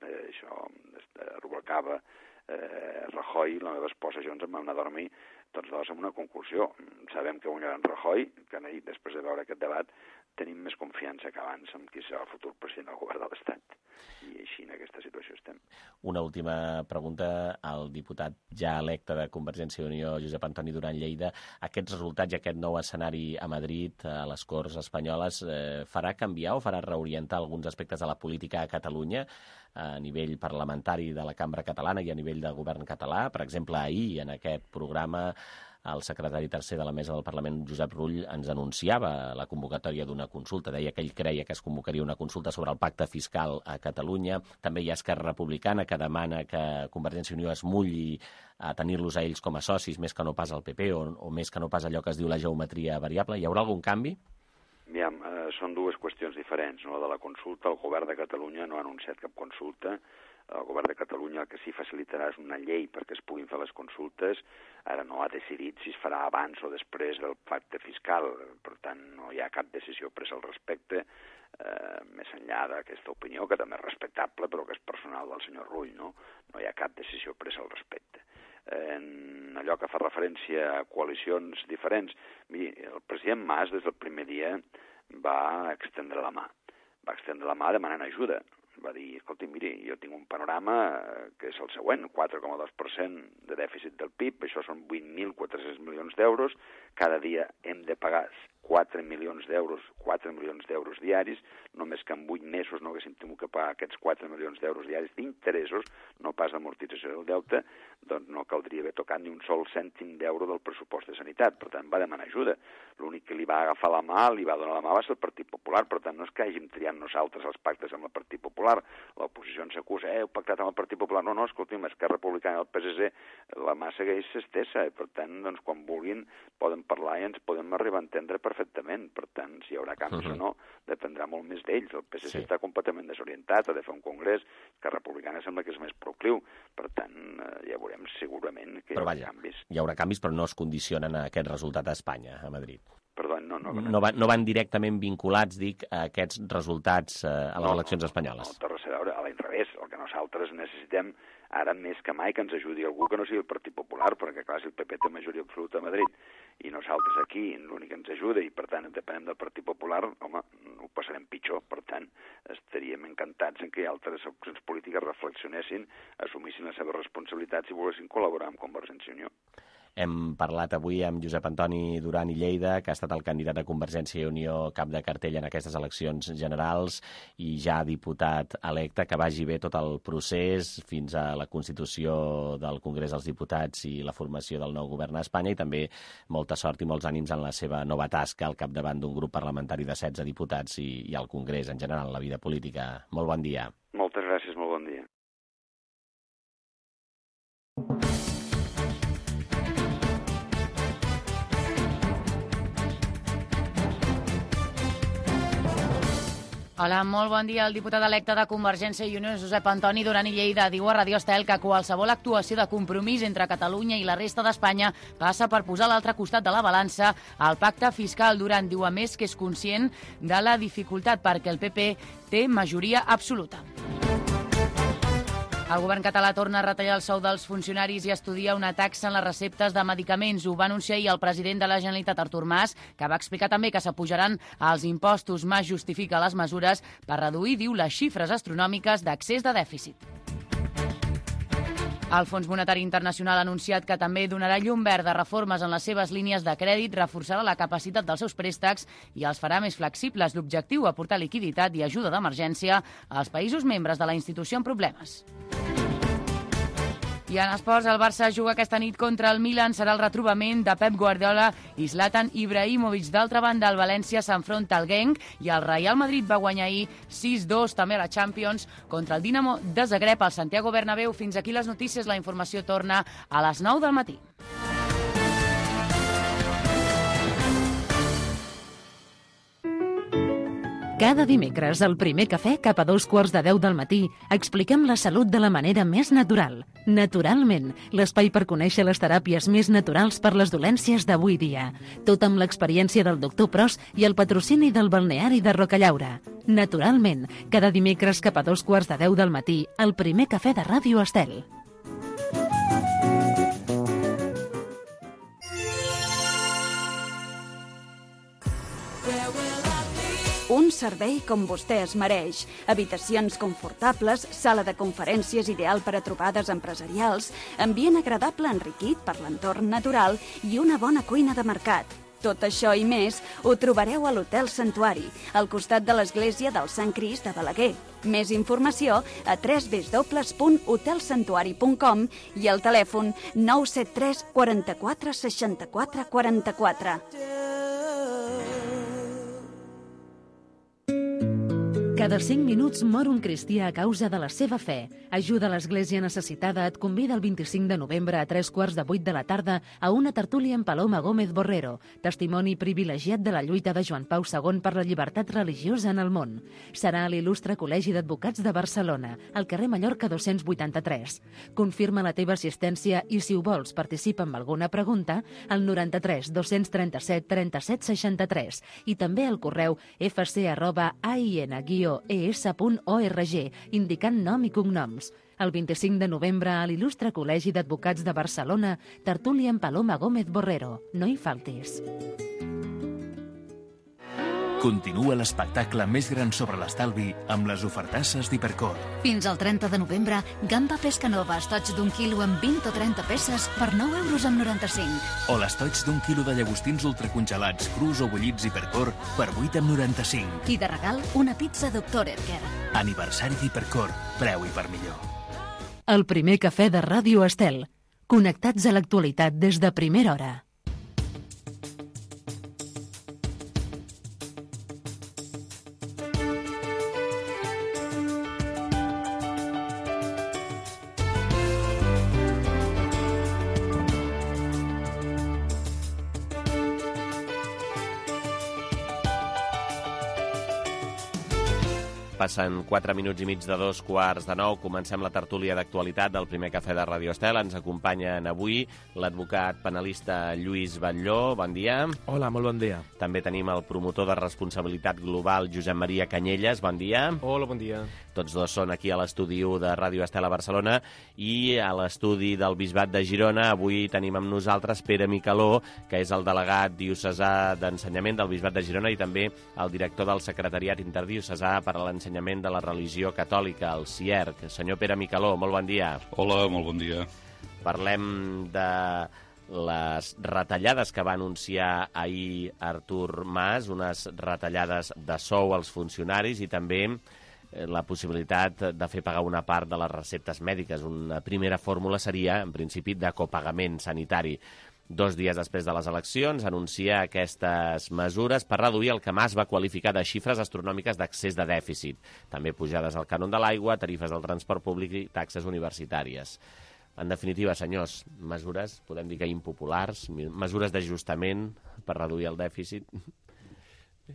Speaker 12: eh, això, eh, rubricava eh, Rajoy, la meva esposa i jo ens vam anar a dormir tots dos amb una conclusió. Sabem que guanyarà en Rajoy, que ahir, després de veure aquest debat, tenim més confiança que abans en qui serà el futur president del govern de l'Estat. I així en aquesta situació estem.
Speaker 2: Una última pregunta al diputat ja electe de Convergència i Unió, Josep Antoni Duran Lleida. Aquests resultats i aquest nou escenari a Madrid, a les Corts espanyoles, eh, farà canviar o farà reorientar alguns aspectes de la política a Catalunya a nivell parlamentari de la cambra catalana i a nivell del govern català? Per exemple, ahir, en aquest programa, el secretari tercer de la Mesa del Parlament, Josep Rull, ens anunciava la convocatòria d'una consulta. Deia que ell creia que es convocaria una consulta sobre el pacte fiscal a Catalunya. També hi ha Esquerra Republicana, que demana que Convergència i Unió es mulli a tenir-los a ells com a socis, més que no pas al P P, o, o més que no pas allò que es diu la geometria variable. Hi haurà algun canvi?
Speaker 12: Aviam, eh, són dues qüestions diferents. No? La de la consulta, el govern de Catalunya no ha anunciat cap consulta. El govern de Catalunya el que sí facilitarà és una llei perquè es puguin fer les consultes. Ara no ha decidit si es farà abans o després del pacte fiscal. Per tant, no hi ha cap decisió presa al respecte, eh, més enllà d'aquesta opinió, que també és respectable, però que és personal del senyor Rull. No, no hi ha cap decisió presa al respecte. En allò que fa referència a coalicions diferents, miri, el president Mas des del primer dia va extendre la mà. Va extendre la mà demanant ajuda. Va dir, escolti, miri, jo tinc un panorama que és el següent, quatre coma dos per cent de dèficit del P I B, això són vuit mil quatre-cents milions d'euros, cada dia hem de pagar quatre milions d'euros, quatre milions d'euros diaris, només que en vuit mesos no haguéssim tingut que pagar aquests quatre milions d'euros diaris d'interessos, no pas d'amortització del deute, doncs no caldria haver tocat ni un sol cèntim d'euro del pressupost de sanitat. Per tant, va demanar ajuda. L'únic que li va agafar la mà, li va donar la mà, va ser el Partit Popular. Per tant, no és que hàgim triat nosaltres els pactes amb el Partit Popular. L'oposició ens acusa, eh, heu pactat amb el Partit Popular. No, no, escolti'm, Esquerra Republicana i el P S C, la mà segueix estesa. Per tant, doncs, quan vulguin, poden parlar i ens podem arribar a entendre perfectament perfectament. Per tant, si hi haurà canvis uh-huh. o no, dependrà molt més d'ells. El P S C sí. està completament desorientat, ha de fer un congrés, que Republicana sembla que és més procliu. Per tant, ja veurem segurament que hi haurà
Speaker 2: vaja,
Speaker 12: canvis.
Speaker 2: Hi haurà canvis, però no es condicionen a aquest resultat a Espanya, a Madrid.
Speaker 12: Perdó, no, no, no.
Speaker 2: No, van, no van directament vinculats, dic, a aquests resultats eh, a les no, eleccions espanyoles.
Speaker 12: No, no, no té res a veure, a l'inrevés. El que nosaltres necessitem ara més que mai que ens ajudi algú que no sigui el Partit Popular, perquè clar, si el P P té majoria absoluta a Madrid i nosaltres aquí l'únic que ens ajuda i per tant depenem del Partit Popular, home, ho passarem pitjor. Per tant, estaríem encantats en que altres opcions polítiques reflexionessin, assumissin les seves responsabilitats i volguessin col·laborar amb Convergència i Unió.
Speaker 2: Hem parlat avui amb Josep Antoni Duran i Lleida, que ha estat el candidat de Convergència i Unió cap de cartell en aquestes eleccions generals i ja diputat electe. Que vagi bé tot el procés fins a la constitució del Congrés dels Diputats i la formació del nou govern a Espanya, i també molta sort i molts ànims en la seva nova tasca al capdavant d'un grup parlamentari de setze diputats i, i al Congrés en general, la vida política. Molt bon dia.
Speaker 12: Moltes gràcies, molt bon dia.
Speaker 3: Hola, molt bon dia. El diputat electe de Convergència i Unió, Josep Antoni Duran i Lleida, diu a Radio Estel que qualsevol actuació de compromís entre Catalunya i la resta d'Espanya passa per posar a l'altre costat de la balança el pacte fiscal. Duran diu, a més, que és conscient de la dificultat perquè el P P té majoria absoluta. El govern català torna a retallar el sou dels funcionaris i estudia una taxa en les receptes de medicaments. Ho va anunciar ahir el president de la Generalitat, Artur Mas, que va explicar també que s'apujaran els impostos. Mas justifica les mesures per reduir, diu, les xifres astronòmiques d'accés de dèficit. El Fons Monetari Internacional ha anunciat que també donarà llum verd a reformes en les seves línies de crèdit, reforçarà la capacitat dels seus préstecs i els farà més flexibles. L'objectiu, aportar liquiditat i ajuda d'emergència als països membres de la institució en problemes. I en esports, el Barça juga aquesta nit contra el Milan. Serà el retrobament de Pep Guardiola i Zlatan Ibrahimovic. D'altra banda, el València s'enfronta al Genk i el Real Madrid va guanyar ahir sis dos també a la Champions contra el Dinamo de Zagreb al Santiago Bernabéu. Fins aquí les notícies. La informació torna a les nou del matí.
Speaker 1: Cada dimecres, al primer cafè, cap a dos quarts de deu del matí, expliquem la salut de la manera més natural. Naturalment, l'espai per conèixer les teràpies més naturals per les dolències d'avui dia. Tot amb l'experiència del doctor Pros i el patrocini del balneari de Rocallaura. Naturalment, cada dimecres cap a dos quarts de deu del matí, al primer cafè de Ràdio Estel.
Speaker 9: Un servei com vostè es mereix. Habitacions confortables, sala de conferències ideal per a trobades empresarials, ambient agradable enriquit per l'entorn natural i una bona cuina de mercat. Tot això i més ho trobareu a l'Hotel Santuari, al costat de l'església del Sant Crist de Balaguer. Més informació a w w w punt hotel santuari punt com i al telèfon nou set tres quaranta-quatre seixanta-quatre quaranta-quatre.
Speaker 1: Cada cinc minuts mor un cristià a causa de la seva fe. Ajuda l'Església Necessitada et convida el vint-i-cinc de novembre a tres quarts de vuit de la tarda a una tertúlia amb Paloma Gómez Borrero, testimoni privilegiat de la lluita de Joan Pau segon per la llibertat religiosa en el món. Serà a l'Il·lustre Col·legi d'Advocats de Barcelona, al carrer Mallorca dos-cents vuitanta-tres. Confirma la teva assistència i, si ho vols, participa amb alguna pregunta al noranta-tres dos-cents trenta-set trenta-set seixanta-tres i també al correu f c arroba a i n guió e s punt org, indicant nom i cognoms. El vint-i-cinc de novembre a l'Il·lustre Col·legi d'Advocats de Barcelona, tertúlia amb Paloma Gómez Borrero. No hi faltis.
Speaker 6: Continua l'espectacle més gran sobre l'estalvi amb les ofertasses d'Hipercor.
Speaker 7: Fins al trenta de novembre, gamba pesca nova, estoig d'un quilo amb vint o trenta peces per nou euros amb noranta-cinc.
Speaker 6: O l'estoig d'un quilo de llagostins ultracongelats, crus o bullits Hipercor per vuit amb noranta-cinc.
Speaker 7: I de regal, una pizza doctor Erker.
Speaker 6: Aniversari d'Hipercor, preu i per millor.
Speaker 1: El primer cafè de Ràdio Estel. Connectats a l'actualitat des de primera hora.
Speaker 2: Passen quatre minuts i mig de dos quarts de nou. Comencem la tertúlia d'actualitat del primer cafè de Radio Estel. Ens acompanyen avui l'advocat penalista Lluís Batlló. Bon dia.
Speaker 13: Hola, molt bon dia.
Speaker 2: També tenim el promotor de responsabilitat global, Josep Maria Canyelles. Bon dia.
Speaker 13: Hola, bon dia. Tots
Speaker 2: dos són aquí a l'estudi u de Radio Estel a Barcelona i a l'estudi del Bisbat de Girona. Avui tenim amb nosaltres Pere Micaló, que és el delegat diocesà d'Ensenyament del Bisbat de Girona i també el director del Secretariat Interdiocesà per a l'Ensenyament de la Religió Catòlica, el C I E R C. Senyor Pere Micaló, molt bon dia.
Speaker 14: Hola, molt bon dia.
Speaker 2: Parlem de les retallades que va anunciar ahir Artur Mas, unes retallades de sou als funcionaris i també la possibilitat de fer pagar una part de les receptes mèdiques. Una primera fórmula seria, en principi, de copagament sanitari. Dos dies després de les eleccions anuncia aquestes mesures per reduir el que Mas va qualificar de xifres astronòmiques d'accés de dèficit. També pujades al cànon de l'aigua, tarifes del transport públic i taxes universitàries. En definitiva, senyors, mesures, podem dir que impopulars, mesures d'ajustament per reduir el dèficit.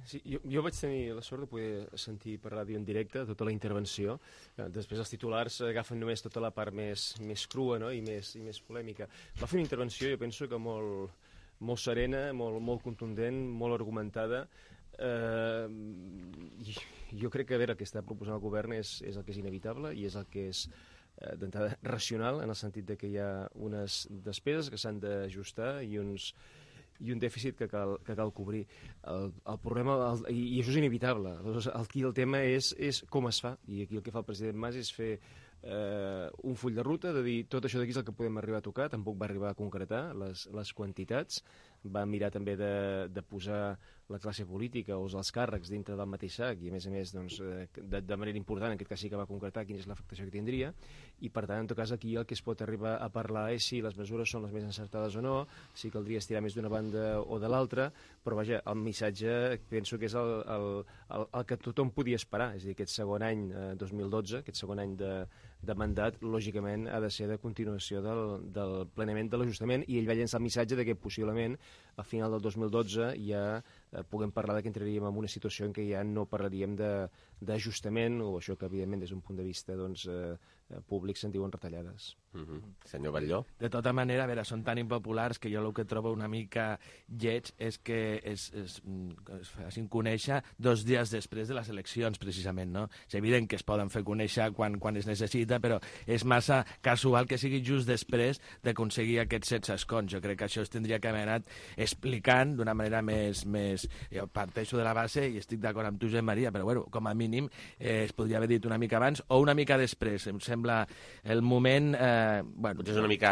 Speaker 13: Sí, jo, jo vaig tenir la sort de poder sentir per ràdio en directe tota la intervenció. Després els titulars agafen només tota la part més, més crua, no? I, més, i més polèmica. Va fer una intervenció, jo penso que molt, molt serena, molt, molt contundent, molt argumentada. Eh, jo crec que a veure, el que està proposant el govern és, és el que és inevitable i és el que és eh, d'entrada racional, en el sentit de que hi ha unes despeses que s'han d'ajustar i uns i un dèficit que cal, que cal cobrir. El, el problema, el, i, i això és inevitable, aquí el tema és, és com es fa, i aquí el que fa el president Mas és fer eh, un full de ruta, de dir tot això d'aquí és el que podem arribar a tocar, tampoc va arribar a concretar les, les quantitats, va mirar també de, de posar la classe política o els càrrecs dintre del mateix sac i a més a més doncs, de, de manera important, en aquest cas sí que va concretar quina és l'afectació que tindria i per tant en tot cas aquí el que es pot arribar a parlar és si les mesures són les més encertades o no, si caldria estirar més d'una banda o de l'altra, però vaja, el missatge penso que és el, el, el, el que tothom podia esperar, és a dir, aquest segon any eh, dos mil dotze, aquest segon any de, de mandat, lògicament ha de ser de continuació del, del plenament de l'ajustament i ell va llençar el missatge de que possiblement a final del dos mil dotze ja eh, puguem parlar que entraríem en una situació en què ja no parlaríem d'ajustament o això que evidentment des d'un punt de vista doncs, eh, públic se'n diuen retallades.
Speaker 2: Mm-hmm. Senyor Batlló?
Speaker 15: De tota manera, a veure, són tan impopulars que jo el que trobo una mica lleig és que es, es, es facin conèixer dos dies després de les eleccions, precisament, no? És evident que es poden fer conèixer quan, quan es necessita, però és massa casual que sigui just després d'aconseguir aquests setze escons. Jo crec que això es tindria que haver anat explicant d'una manera més, més... Jo parteixo de la base i estic d'acord amb tu, Josep Maria, però bueno, com a mínim eh, es podria haver dit una mica abans o una mica després. Em sembla el moment... Eh, bueno,
Speaker 2: potser és una mica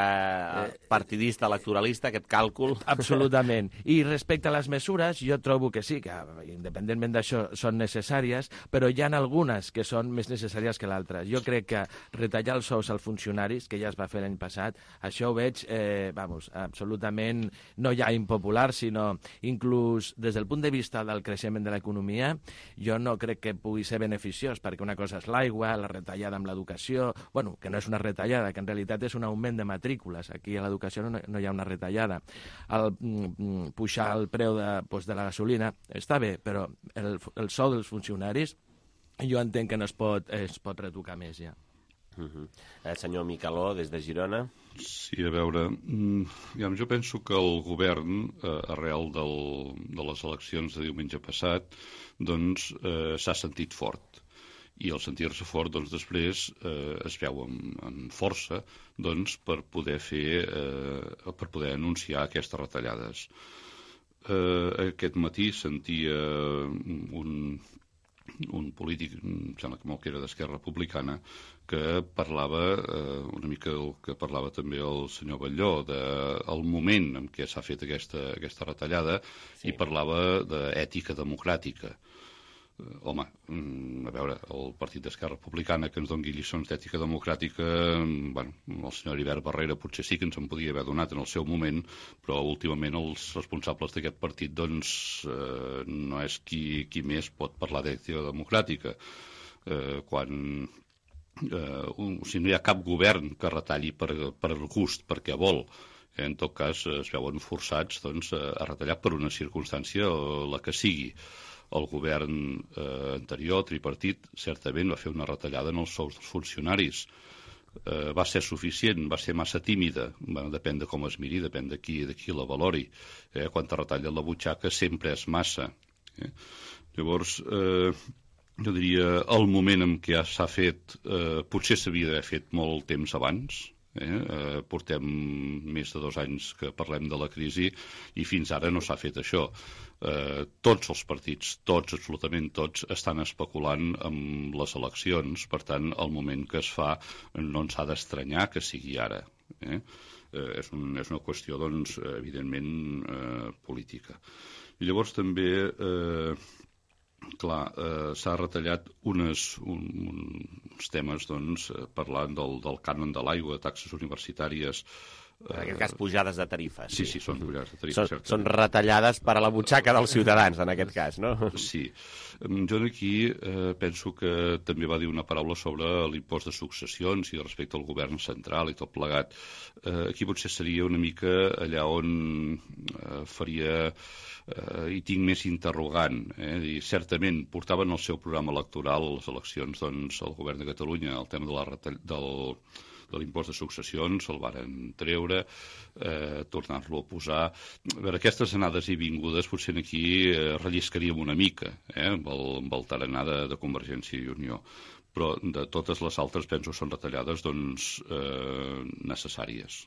Speaker 2: partidista, electoralista, aquest càlcul.
Speaker 15: Absolutament. I respecte a les mesures, jo trobo que sí, que independentment d'això són necessàries, però hi ha algunes que són més necessàries que l'altres. Jo crec que retallar els sous als funcionaris, que ja es va fer l'any passat, això ho veig, eh, vamos, absolutament no ja impopular, sinó inclús des del punt de vista del creixement de l'economia, jo no crec que pugui ser beneficiós, perquè una cosa és l'aigua, la retallada amb l'educació, bueno, que no és una retallada, que en realitat és un augment de matrícules. Aquí a l'educació no, no hi ha una retallada. El, mm, pujar el preu de, pues, de la gasolina està bé, però el, el sou dels funcionaris jo entenc que no es pot, es pot retocar més ja.
Speaker 2: Uh-huh. El senyor Micaló, des de Girona.
Speaker 14: Sí, a veure, mm, jo penso que el govern, eh, arrel del, de les eleccions de diumenge passat, doncs eh, s'ha sentit fort. I al sentir-se fort, doncs, després eh, es veu amb, amb força doncs, per poder fer, eh, per poder anunciar aquestes retallades. Eh, aquest matí sentia un, un polític, em sembla que molt que era d'Esquerra Republicana, que parlava, eh, una mica el que parlava també el senyor Batlló, del moment en què s'ha fet aquesta, aquesta retallada, sí. I parlava d'ètica democràtica. Home, a veure, el partit d'Esquerra Republicana que ens doni lliçons d'ètica democràtica, bueno, el senyor Heribert Barrera potser sí que ens en podia haver donat en el seu moment, però últimament els responsables d'aquest partit doncs eh, no és qui, qui més pot parlar d'ètica democràtica. Eh, quan eh, un, o sigui, no hi ha cap govern que retalli per, per gust, perquè vol. En tot cas es veuen forçats doncs, a retallar per una circumstància la que sigui. El govern eh, anterior, tripartit, certament va fer una retallada en els sous dels funcionaris. Eh, va ser suficient, va ser massa tímida, bueno, depèn de com es miri, depèn de qui, de qui la valori. Eh? Quan te retalla la butxaca sempre és massa. Eh? Llavors, eh, jo diria, el moment en què s'ha fet, eh, potser s'havia d'haver fet molt temps abans. Eh? Eh, portem més de dos anys que parlem de la crisi i fins ara no s'ha fet això. Eh, tots els partits, tots, absolutament tots, estan especulant amb les eleccions, per tant, el moment que es fa no ens ha d'estranyar que sigui ara. Eh? Eh, és, un, és una qüestió, doncs, evidentment, eh, política. I llavors també... Eh, Clar, eh, s'ha retallat unes, un, uns temes, doncs, parlant del, del cànon de l'aigua, taxes universitàries...
Speaker 2: En aquest cas, pujades de tarifes.
Speaker 14: Sí, sí, són pujades de tarifes.
Speaker 2: Són, són retallades per a la butxaca dels ciutadans, en aquest cas, no?
Speaker 14: Sí. Jo aquí eh, penso que també va dir una paraula sobre l'impost de successions i respecte al govern central i tot plegat. Eh, aquí potser seria una mica allà on eh, faria... Uh, i tinc més interrogant. Eh? I certament portaven el seu programa electoral a les eleccions, doncs, el govern de Catalunya, el tema de la retall... del, de l'impost de successions, el varen treure, eh, tornar-lo a posar. A veure, aquestes anades i vingudes potser aquí eh, relliscaríem una mica, eh? amb, el, amb el tarannà de, de Convergència i Unió. Però de totes les altres penso són retallades, doncs, eh, necessàries.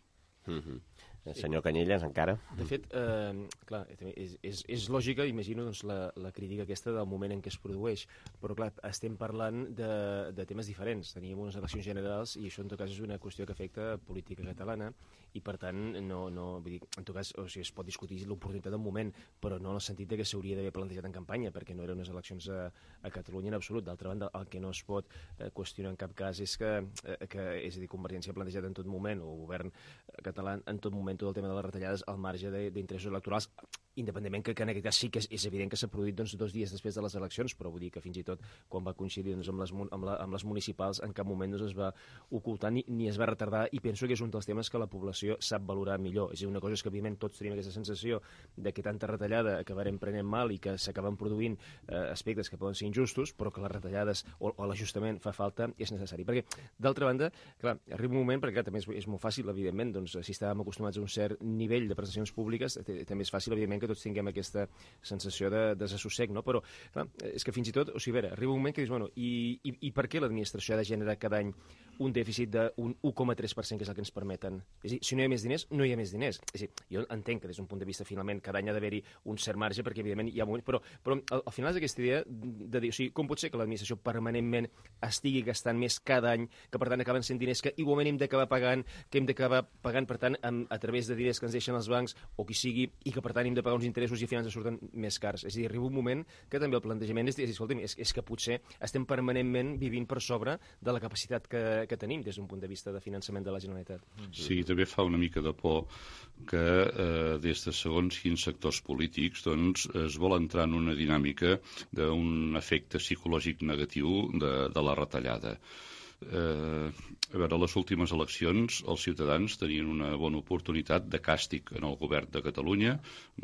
Speaker 2: Mm-hmm. Senyor Canyelles, encara?
Speaker 13: De fet, eh, clar, és, és, és lògica, imagino, doncs, la, la crítica aquesta del moment en què es produeix, però clar, estem parlant de, de temes diferents. Teníem unes eleccions generals i això en tot cas és una qüestió que afecta política catalana i per tant, no, no, vull dir, en tot cas, o sigui, es pot discutir l'oportunitat del moment, però no en el sentit de que s'hauria d'haver plantejat en campanya, perquè no eren unes eleccions a, a Catalunya en absolut. D'altra banda, el que no es pot eh, qüestionar en cap cas és que, eh, que és a dir, Convergència ha plantejat en tot moment, o el govern català en tot moment, tot el tema de les retallades al marge d'interessos electorals, independentment que, que en aquest cas sí que és, és evident que s'ha produït doncs, dos dies després de les eleccions, però vull dir que fins i tot quan va coincidir doncs, amb, les, amb, la, amb les municipals en cap moment doncs, es va ocultar ni, ni es va retardar, i penso que és un dels temes que la població sap valorar millor. És a dir, una cosa és que evidentment tots tenim aquesta sensació de que tanta retallada acabarem prenent mal i que s'acaben produint eh, aspectes que poden ser injustos, però que les retallades o, o l'ajustament fa falta i és necessari. Perquè, d'altra banda, clar, arriba un moment, perquè clar, també és, és molt fàcil, evidentment, doncs, si estàvem acostumats a un cert nivell de prestacions públiques, també és fàcil, evidentment, que tots tinguem aquesta sensació de desassossec, no? Però, clar, és que fins i tot, o sigui, a veure, arriba un moment que dius, bueno, i, i, i per què l'administració ha de generar cada any un dèficit d'un un coma tres per cent, que és el que ens permeten? És a dir, si no hi ha més diners, no hi ha més diners. És a dir, jo entenc que des d'un punt de vista, finalment, cada any ha d'haver-hi un cert marge, perquè, evidentment, hi ha moments, però, però al, al final és aquesta idea de dir, o sigui, com pot ser que l'administració permanentment estigui gastant més cada any, que per tant acaben sent diners que igualment hem d'acabar pagant, que hem d'acabar pagant, per tant, amb, a través de diners que ens deixen els bancs, o qui sigui, i que per tant hem de pagar uns interessos i al final ens surten més cars. És a dir, arriba un moment que també el plantejament és dir, escolta'm, és, és que potser estem permanentment vivint per sobre de la capacitat que, que tenim des d'un punt de vista de finançament de la Generalitat.
Speaker 14: Sí, també fa una mica de por que eh, des de segons quins sectors polítics doncs, es vol entrar en una dinàmica d'un efecte psicològic negatiu de, de la retallada. Eh, a veure, a les últimes eleccions els ciutadans tenien una bona oportunitat de càstig en el govern de Catalunya,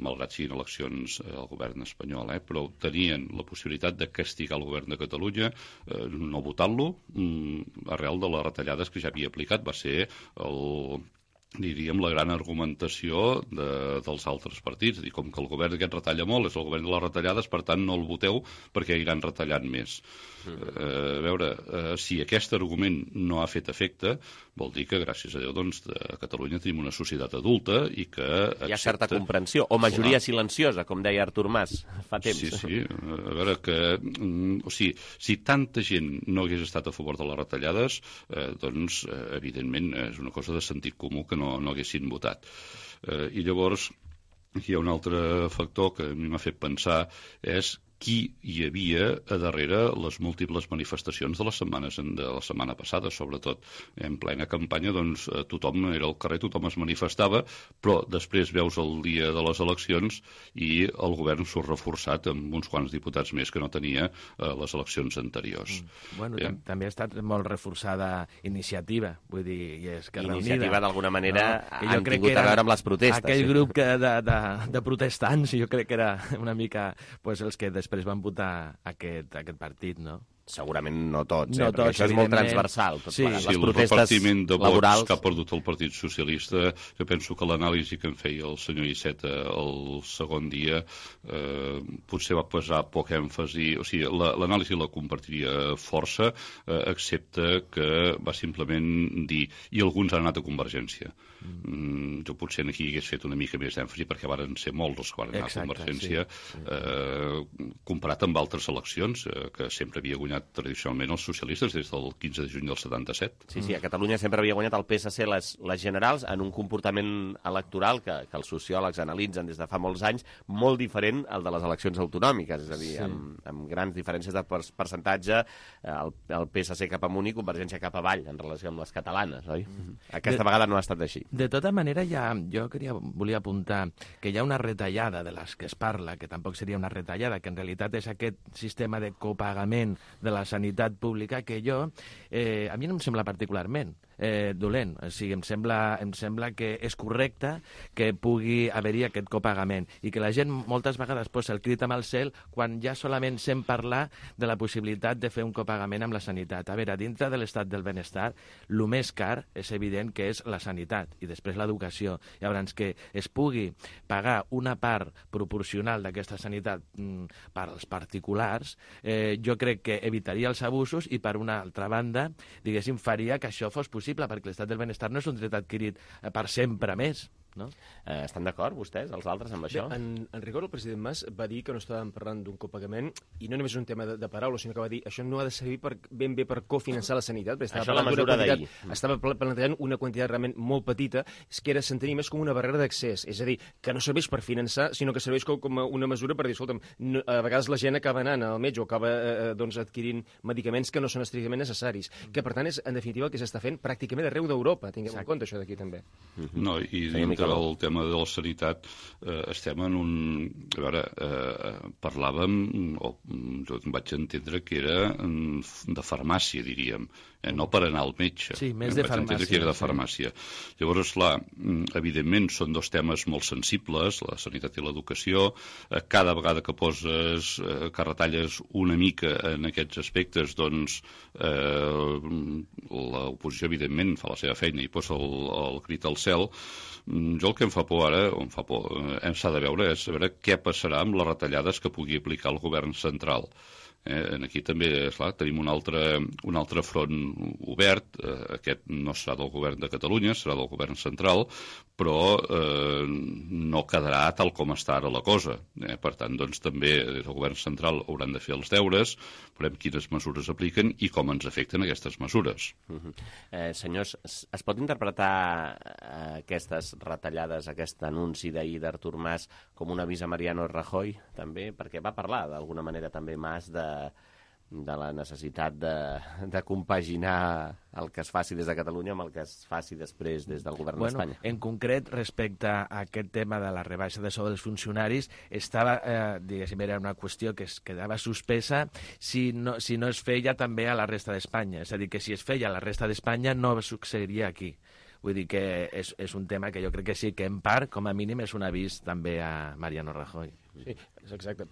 Speaker 14: malgrat siguin eleccions al govern espanyol, eh, però tenien la possibilitat de castigar el govern de Catalunya, eh, no votant-lo, mm, arrel de les retallades que ja havia aplicat. Va ser el... diríem, la gran argumentació de, dels altres partits. Dir, com que el govern aquest retalla molt, és el govern de les retallades, per tant no el voteu perquè iran retallant més. Mm. Eh, a veure, eh, si aquest argument no ha fet efecte, vol dir que, gràcies a Déu, doncs, a Catalunya tenim una societat adulta i que accepta...
Speaker 2: Hi ha certa comprensió, o majoria silenciosa, com deia Artur Mas fa temps.
Speaker 14: Sí, sí. A veure, que... O sigui, si tanta gent no hagués estat a favor de les retallades, eh, doncs, eh, evidentment, és una cosa de sentit comú que no, no haguessin votat. Eh, I llavors, aquí hi ha un altre factor que a mi m'ha fet pensar, és qui hi havia a darrere les múltiples manifestacions de les setmanes de la setmana passada, sobretot. En plena campanya, doncs, tothom era al carrer, tothom es manifestava, però després veus el dia de les eleccions i el govern surt reforçat amb uns quants diputats més que no tenia a les eleccions anteriors.
Speaker 15: Mm. Bueno, eh? també ha estat molt reforçada Iniciativa, vull dir, i Esquerra Unida.
Speaker 2: Iniciativa, d'alguna manera,
Speaker 15: no?
Speaker 2: han tingut a veure amb les protestes.
Speaker 15: Aquell
Speaker 2: sí.
Speaker 15: grup que de, de, de protestants, jo crec que era una mica pues, els que després després van votar aquest, aquest partit, no?
Speaker 2: Segurament no tots, eh?
Speaker 15: No
Speaker 2: Perquè
Speaker 15: tots,
Speaker 2: això és molt transversal. Tot
Speaker 14: sí,
Speaker 2: les
Speaker 14: sí, el
Speaker 2: protestes
Speaker 14: repartiment de vots
Speaker 2: laborals...
Speaker 14: que ha perdut el Partit Socialista, jo penso que l'anàlisi que en feia el senyor Iceta el segon dia eh, potser va posar poc èmfasi, o sigui, l'anàlisi la compartiria força, eh, excepte que va simplement dir, i alguns han anat a Convergència. Mm, jo potser aquí hagués fet una mica més d'èmfasi perquè varen ser molts els que van anar Exacte, a Convergència sí, sí. Eh, comparat amb altres eleccions eh, que sempre havia guanyat tradicionalment els socialistes des del quinze de juny del setanta-set.
Speaker 2: Sí, sí, a Catalunya sempre havia guanyat el P S C les, les generals en un comportament electoral que, que els sociòlegs analitzen des de fa molts anys molt diferent al de les eleccions autonòmiques, és a dir, sí. amb, amb grans diferències de percentatge, el, el P S C cap amunt i Convergència cap avall en relació amb les catalanes, oi? Mm-hmm. Aquesta de, vegada no ha estat així.
Speaker 15: De tota manera, ja, jo queria, volia apuntar que hi ha una retallada de les que es parla, que tampoc seria una retallada, que en realitat és aquest sistema de copagament de la sanitat pública que jo, eh, a mi no em sembla particularment eh, dolent. O sigui, em sembla, em sembla que és correcte que pugui haver-hi aquest copagament i que la gent moltes vegades posa el crit amb el cel quan ja solament sent parlar de la possibilitat de fer un copagament amb la sanitat. A veure, dintre de l'estat del benestar, el més car és evident que és la sanitat i després l'educació. Llavors, que es pugui pagar una part proporcional d'aquesta sanitat mm, per als particulars, eh, jo crec que evitaria els abusos i, per una altra banda, diguéssim, faria que això fos possible, perquè l'estat del benestar no és un dret adquirit per sempre més. No?
Speaker 2: Eh, estan d'acord vostès, els altres, amb això?
Speaker 13: Bé, en, en rigor, el president Mas va dir que no estàvem parlant d'un copagament i no només és un tema de, de paraules, sinó que va dir això no ha de servir per, ben bé per cofinançar la sanitat, perquè estava,
Speaker 2: això la mesura
Speaker 13: quantitat, estava plantejant una quantitat realment molt petita, és que era s'entenia més com una barrera d'accés, és a dir, que no serveix per finançar, sinó que serveix com, com una mesura per dir, escolta'm, no, a vegades la gent acaba anant al metge o acaba eh, doncs, adquirint medicaments que no són estrictament necessaris, que per tant és, en definitiva, el que s'està fent pràcticament arreu d'Europa, tinguem Exacte. en compte això d'aquí també.
Speaker 14: No, i dintre del tema de la sanitat eh, estem en un... A veure, eh, parlàvem, o jo vaig entendre que era de farmàcia, diríem, eh, no per anar al metge.
Speaker 15: Sí, més de
Speaker 14: vaig
Speaker 15: farmàcia.
Speaker 14: Que era de farmàcia. Sí. Llavors, clar, evidentment són dos temes molt sensibles, la sanitat i l'educació. Eh, cada vegada que poses, eh, que retalles una mica en aquests aspectes, doncs eh, l'oposició, evidentment, fa la seva feina i posa el, el crit al cel. Jo el que em fa por ara, o em fa por, eh, s'ha de veure, és veure què passarà amb les retallades que pugui aplicar el govern central. Eh, aquí també, esclar, tenim un altre, un altre front obert, eh, aquest no serà del govern de Catalunya, serà del govern central, però eh, no quedarà tal com està ara la cosa. Eh? Per tant, doncs, també des del govern central hauran de fer els deures, veurem quines mesures apliquen i com ens afecten aquestes mesures.
Speaker 2: Uh-huh. eh, senyors, es pot interpretar eh, aquestes retallades, aquest anunci d'ahir d'Artur Mas com un avís a Mariano Rajoy, també? Perquè va parlar d'alguna manera també Mas de de la necessitat de, de compaginar el que es faci des de Catalunya amb el que es faci després des del govern
Speaker 15: bueno,
Speaker 2: d'Espanya.
Speaker 15: En concret, respecte a aquest tema de la rebaixa de sou dels funcionaris, estava, eh, diguéssim, era una qüestió que es quedava suspesa si no, si no es feia també a la resta d'Espanya. És a dir, que si es feia a la resta d'Espanya no succeiria aquí. Vull dir que és, és un tema que jo crec que sí, que en part, com a mínim, és un avís també a Mariano Rajoy.
Speaker 13: Sí, és exacte.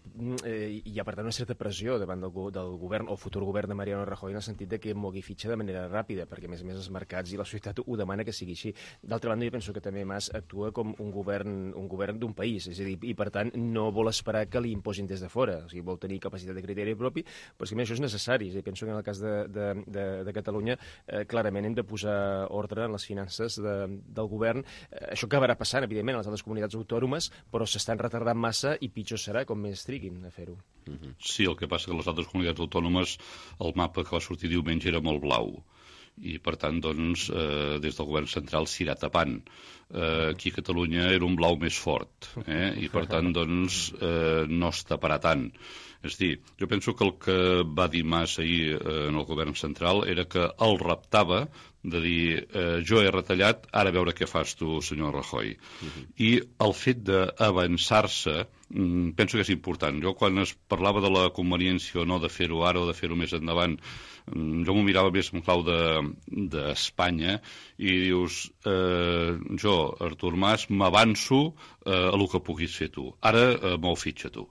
Speaker 13: Eh, hi ha, per tant, una certa pressió davant del, del govern o futur govern de Mariano Rajoy en el sentit de que mogui fitxa de manera ràpida, perquè, a més a més, els mercats i la societat ho demana que sigui així. D'altra banda, jo penso que també Mas actua com un govern un govern d'un país, és a dir, i, per tant, no vol esperar que li imposin des de fora, o sigui, vol tenir capacitat de criteri propi, però és que això és necessari. És a dir, penso que en el cas de, de, de, de Catalunya, eh, clarament hem de posar ordre en les finances de, del govern. Eh, això acabarà passant, evidentment, a les altres comunitats autònomes, però s'estan retardant massa i pitjor serà com més triguin a fer-ho.
Speaker 14: Sí, el que passa que les altres comunitats autònomes el mapa que va sortir diumenge era molt blau i per tant doncs eh, des del govern central s'irà tapant. Eh, aquí a Catalunya era un blau més fort eh? I per tant doncs eh, no es taparà tant. És a dir, jo penso que el que va dir Mas ahir eh, en el govern central era que el reptava de dir, eh, jo he retallat, ara a veure què fas tu, senyor Rajoy. Uh-huh. I el fet d'avançar-se, mm, penso que és important. Jo, quan es parlava de la conveniència o no de fer-ho ara o de fer-ho més endavant, mm, jo m'ho mirava més en clau d'Espanya de, i dius, eh, jo, Artur Mas, m'avanço eh, a el que puguis fer tu. Ara eh, m'ho fitxa tu.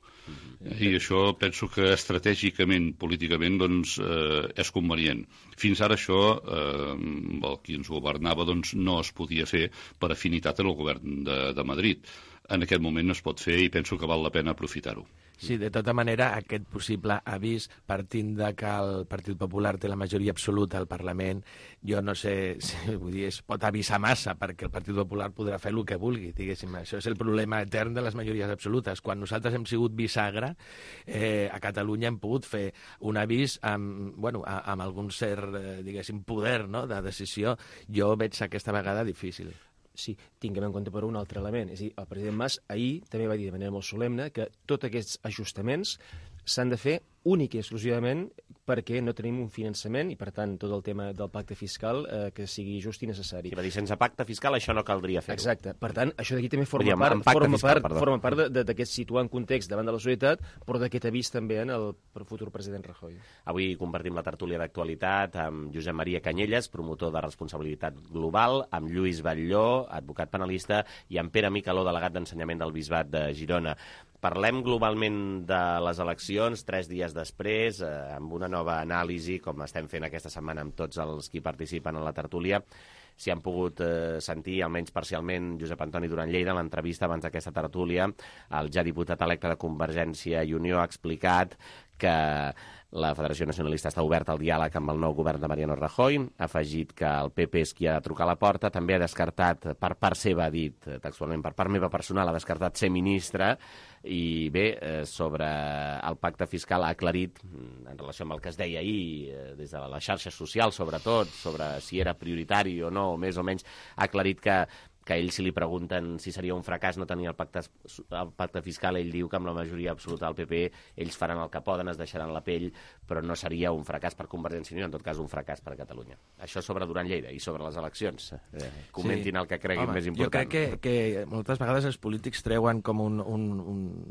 Speaker 14: I això penso que estratègicament, políticament, doncs, eh, és convenient. Fins ara això, eh, el qui ens governava, doncs, no es podia fer per afinitat en el govern de, de Madrid. En aquest moment es pot fer i penso que val la pena aprofitar-ho.
Speaker 15: Sí, de tota manera, aquest possible avís, partint de que el Partit Popular té la majoria absoluta al Parlament, jo no sé, si, vull dir, es pot avisar massa, perquè el Partit Popular podrà fer el que vulgui, diguéssim. Això és el problema etern de les majories absolutes. Quan nosaltres hem sigut bisagra, eh, a Catalunya hem pogut fer un avís amb, bueno, amb algun cert, eh, diguéssim, poder, no?, de decisió. Jo veig aquesta vegada difícil.
Speaker 13: Sí, tinguem en compte per un altre element. És a dir, el president Mas ahir també va dir de manera molt solemne que tots aquests ajustaments s'han de fer únic i exclusivament perquè no tenim un finançament i, per tant, tot el tema del pacte fiscal eh, que sigui just i necessari.
Speaker 2: I va dir, sense pacte fiscal això no caldria fer-ho.
Speaker 13: Exacte. Per tant, això d'aquí també forma
Speaker 2: dir,
Speaker 13: part, forma
Speaker 2: fiscal,
Speaker 13: part, forma part d'aquest situar en context davant de la societat, però d'aquest avís també en el futur president Rajoy.
Speaker 2: Avui compartim la tertúlia d'actualitat amb Josep Maria Canyelles, promotor de responsabilitat global, amb Lluís Batlló, advocat penalista, i amb Pere Micaló, delegat d'ensenyament del Bisbat de Girona. Parlem globalment de les eleccions, tres dies després, eh, amb una nova anàlisi, com estem fent aquesta setmana amb tots els qui participen en la tertúlia. Si han pogut eh, sentir, almenys parcialment, Josep Antoni Duran Lleida, en l'entrevista abans d'aquesta tertúlia, el ja diputat electe de Convergència i Unió ha explicat que la Federació Nacionalista està oberta al diàleg amb el nou govern de Mariano Rajoy, ha afegit que el P P és qui ha de trucar a la porta, també ha descartat, per part seva ha dit, textualment, per part meva personal, ha descartat ser ministre, i bé, eh, sobre el pacte fiscal ha aclarit, en relació amb el que es deia ahir, eh, des de les xarxes socials sobretot, sobre si era prioritari o no, més o menys, ha aclarit que que a ell, si li pregunten si seria un fracàs no tenir el pacte, el pacte fiscal, ell diu que amb la majoria absoluta del P P ells faran el que poden, es deixaran la pell, però no seria un fracàs per Convergència i Unió, en tot cas un fracàs per Catalunya. Això sobre Duran Lleida i sobre les eleccions. Eh, comentin sí. el que creguin Home, més important.
Speaker 15: Jo crec que, que moltes vegades els polítics treuen com un, un,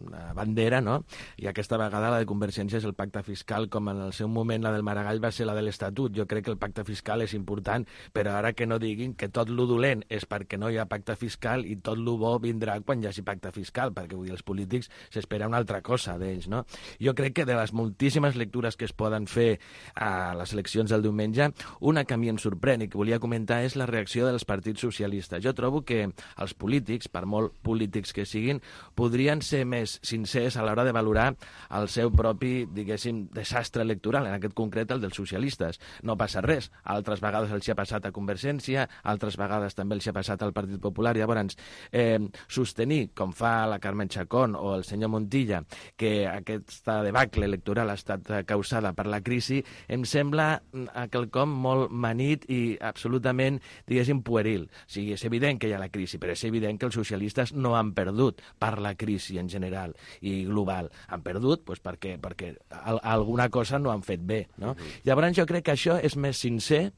Speaker 15: una bandera, no? I aquesta vegada la de Convergència és el pacte fiscal, com en el seu moment la del Maragall va ser la de l'Estatut. Jo crec que el pacte fiscal és important, però ara que no diguin que tot lo dolent és perquè no hi ha pacte fiscal i tot lo bo vindrà quan hi hagi pacte fiscal, perquè vull dir, els polítics s'espera una altra cosa d'ells, no? Jo crec que de les moltíssimes lectures que es poden fer a les eleccions del diumenge, una que a mi em sorprèn i que volia comentar és la reacció dels partits socialistes. Jo trobo que els polítics, per molt polítics que siguin, podrien ser més sincers a l'hora de valorar el seu propi, diguéssim, desastre electoral, en aquest concret el dels socialistes. No passa res. Altres vegades els hi ha passat a Convergència, altres vegades també els hi ha passat al Partit Popular. Llavors, eh, sostenir, com fa la Carmen Chacón o el senyor Montilla, que aquesta debacle electoral ha estat causada per la crisi, em sembla quelcom molt manit i absolutament, diguéssim, pueril. O sigui, és evident que hi ha la crisi, però és evident que els socialistes no han perdut per la crisi en general i global. Han perdut doncs, perquè, perquè alguna cosa no han fet bé, no? Uh-huh. Llavors, jo crec que això és més sincer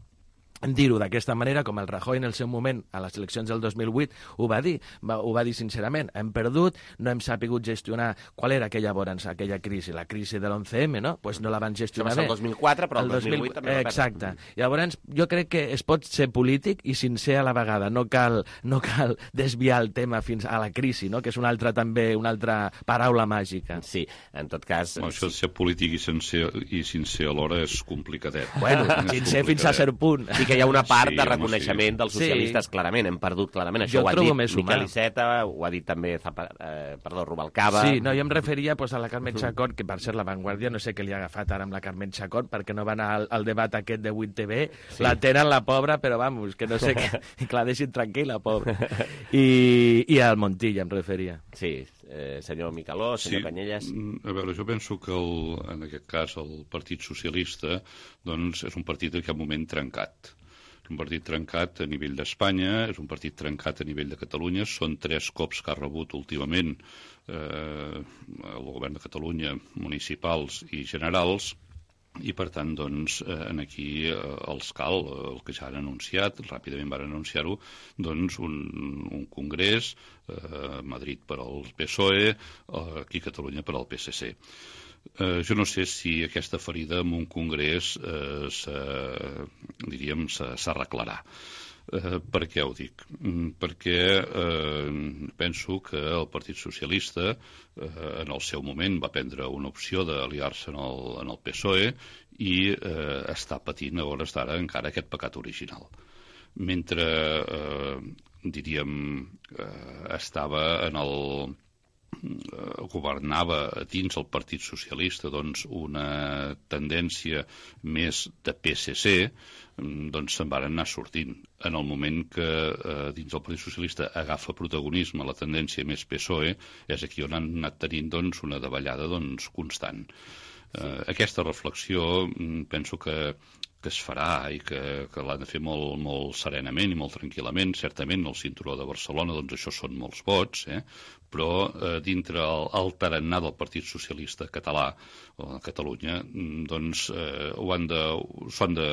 Speaker 15: dir-ho d'aquesta manera, com el Rajoy en el seu moment a les eleccions del dos mil vuit ho va dir, va, ho va dir sincerament, hem perdut, no hem sapigut gestionar qual era aquella llavors, aquella crisi, la crisi de l'onze eme, no? Pues no la van gestionar bé.
Speaker 2: El dos mil quatre, però el, el dos mil vuit també va perdre.
Speaker 15: Exacte. Llavors, jo crec que es pot ser polític i sincer a la vegada, no cal, no cal desviar el tema fins a la crisi, no? Que és una altra també, una altra paraula màgica.
Speaker 2: Sí, en tot cas...
Speaker 14: Bueno, això de ser polític i sincer, i sincer alhora és complicadet.
Speaker 15: Bueno, sincer fins a cert punt.
Speaker 2: Sí que hi ha una part sí, de reconeixement sí. dels socialistes, sí. clarament, hem perdut clarament, això
Speaker 15: jo
Speaker 2: ho ha dit
Speaker 15: Miquel
Speaker 2: humà. Iceta, ho ha dit també Zapa, eh, perdó, Rubalcaba.
Speaker 15: Sí, no, jo em referia pues, a la Carmen Chacón, que per ser la Vanguardia, no sé què li ha agafat ara amb la Carmen Chacón, perquè no va anar al, al debat aquest de vuit T V, sí. La tenen la pobra, però vamos, que no sé què, que la deixin tranquil·la, pobra. I, i al Montilla em referia.
Speaker 2: Sí, eh, senyor Micaló, senyor
Speaker 14: sí.
Speaker 2: Canyelles.
Speaker 14: A veure, jo penso que el, en aquest cas el Partit Socialista doncs, és un partit en aquest moment trencat. Un partit trencat a nivell d'Espanya, és un partit trencat a nivell de Catalunya, són tres cops que ha rebut últimament eh, el govern de Catalunya, municipals i generals, i per tant, doncs, eh, aquí eh, els cal, el que ja han anunciat, ràpidament van anunciar-ho, doncs un, un congrés, eh, Madrid per al P S O E, eh, aquí Catalunya per al P S C. Eh, jo no sé si aquesta ferida en un congrés eh, diríem s'arreglarà. Eh, per què ho dic? Mm, perquè eh, penso que el Partit Socialista eh, en el seu moment va prendre una opció d'aliar-se en, el, en el P S O E i eh, està patint a hores d'ara encara aquest pecat original. Mentre, eh, diríem, eh, estava en el governava dins el Partit Socialista doncs, una tendència més de P S C, doncs se'n van anar sortint. En el moment que eh, dins el Partit Socialista agafa protagonisme la tendència més P S O E, és aquí on han anat tenint doncs, una davallada doncs, constant. Eh, aquesta reflexió penso que que es farà i que, que l'han de fer molt, molt serenament i molt tranquil·lament. Certament, el cinturó de Barcelona, doncs això són molts vots, eh? però eh, dintre el, el tarannà del Partit Socialista català o de Catalunya, doncs eh, ho han de, ho han de,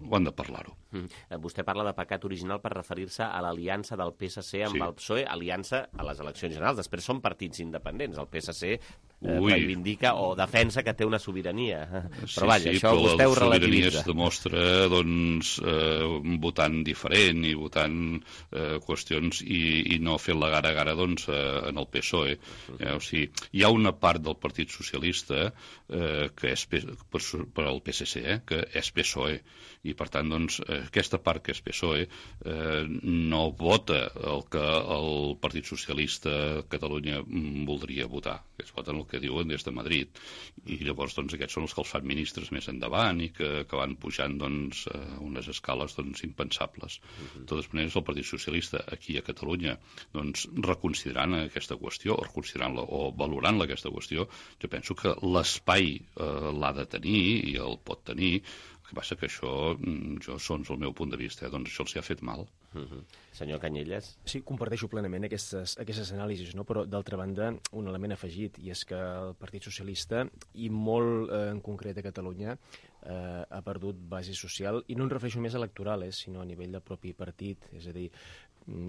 Speaker 14: ho han de parlar-ho.
Speaker 2: Mm. Vostè parla de pecat original per referir-se a l'aliança del P S C amb sí. el P S O E, aliança a les eleccions generals. Després són partits independents. El P S C eh, reivindica o defensa que té una sobirania.
Speaker 14: Sí,
Speaker 2: però vaja,
Speaker 14: sí,
Speaker 2: això
Speaker 14: però
Speaker 2: vostè ho
Speaker 14: la sobirania
Speaker 2: relativitza.
Speaker 14: es demostra doncs, eh, votant diferent i votant eh, qüestions i, i no fent la gara-gara doncs, eh, en el P S O E. Eh, o sigui, hi ha una part del Partit Socialista eh, que és per, per al P S C, eh, que és P S O E, i per tant doncs, eh, aquesta part que és P S O E eh, no vota el que el Partit Socialista a Catalunya voldria votar, que es voten el que diuen des de Madrid, i llavors doncs, aquests són els que els fan ministres més endavant i que, que van pujant doncs, a unes escales doncs, impensables. De totes maneres, el Partit Socialista aquí a Catalunya doncs, reconsiderant aquesta qüestió o reconsiderant-la o valorant-la aquesta qüestió, jo penso que l'espai eh, l'ha de tenir i el pot tenir. El que passa que això, jo, segons el meu punt de vista, eh, doncs això els ha fet mal.
Speaker 2: Uh -huh. Senyor Canyelles?
Speaker 13: Sí, comparteixo plenament aquestes, aquestes anàlisis, no? Però d'altra banda, un element afegit, i és que el Partit Socialista, i molt eh, en concret a Catalunya, eh, ha perdut base social, i no em refereixo més a electoral, eh, sinó a nivell del propi partit. És a dir,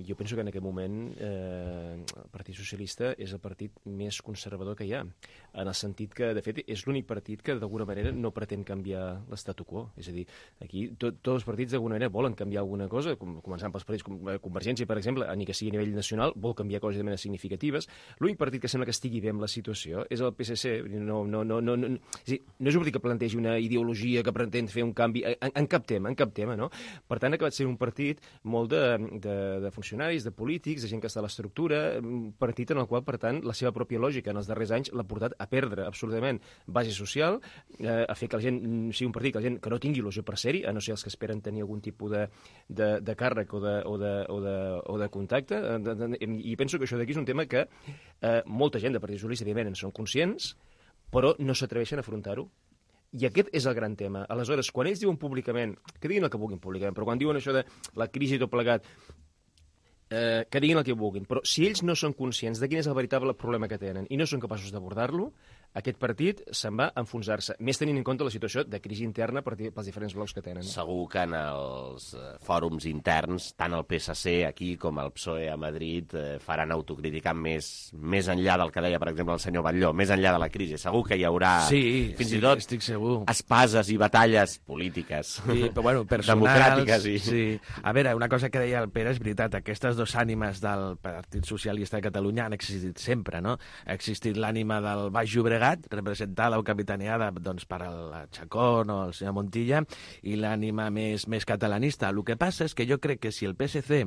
Speaker 13: jo penso que en aquest moment eh, el Partit Socialista és el partit més conservador que hi ha, en el sentit que, de fet, és l'únic partit que d'alguna manera no pretén canviar l'estatu quo. És a dir, aquí tot, tots els partits d'alguna manera volen canviar alguna cosa, com, començant pels partits com Convergència, per exemple, ni que sigui a nivell nacional, vol canviar coses de manera significatives. L'únic partit que sembla que estigui bé amb la situació és el P S C. No, no, no, no, no, és dir, no és un partit que plantegi una ideologia que pretén fer un canvi en, en cap tema, en cap tema, no? Per tant, ha acabat sent un partit molt de, de, de funcionaris, de polítics, de gent que està a l'estructura, un partit en el qual, per tant, la seva pròpia lògica en els darrers anys l'ha portat a perdre absolutament base social, eh, a fer que la gent sigui un partit que la gent que no tingui il·lusió per ser-hi, a no ser els que esperen tenir algun tipus de, de, de càrrec o de, o de, o de, o de contacte, i penso que això d'aquí és un tema que eh, molta gent de Partit Socialista, evidentment, en són conscients, però no s'atreveixen a afrontar-ho. I aquest és el gran tema. Aleshores, quan ells diuen públicament, que diguin el que vulguin públicament, però quan diuen això de la crisi i tot plegat, eh, que diguin el que vulguin, però si ells no són conscients de quin és el veritable problema que tenen i no són capaços d'abordar-lo, aquest partit se'n va a enfonsar-se, més tenint en compte la situació de crisi interna per, pels diferents blocs que tenen.
Speaker 2: Segur que en els fòrums interns, tant el P S C aquí com el P S O E a Madrid eh, faran autocrítica més, més enllà del que deia, per exemple, el senyor Batlló, més enllà de la crisi. Segur que hi haurà,
Speaker 15: sí,
Speaker 2: fins
Speaker 15: sí,
Speaker 2: i tot,
Speaker 15: estic segur,
Speaker 2: espases i batalles polítiques,
Speaker 15: sí, però, bueno, personals,
Speaker 2: democràtiques. I...
Speaker 15: Sí. A veure, una cosa que deia el Pere és veritat, aquestes dues ànimes del Partit Socialista de Catalunya han existit sempre, no? Ha existit l'ànima del Baix Llobregat, representada o capitaneada doncs, per el Chacón o el senyor Montilla, i l'ànima més, més catalanista. El que passa és que jo crec que si el P S C,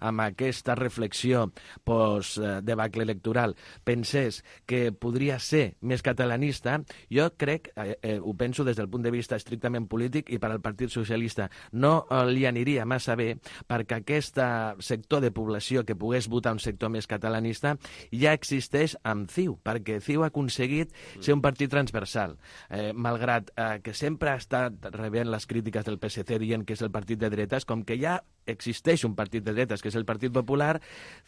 Speaker 15: amb aquesta reflexió post-debacle electoral, pensés que podria ser més catalanista, jo crec, eh, eh, ho penso des del punt de vista estrictament polític, i per al Partit Socialista no li aniria massa bé, perquè aquest sector de població que pogués votar un sector més catalanista ja existeix amb C I U, perquè C I U ha aconseguit ser un partit transversal, eh, malgrat eh, que sempre ha estat rebent les crítiques del P S C dient que és el partit de dretes, com que ja existeix un partit de dretes, que és el Partit Popular,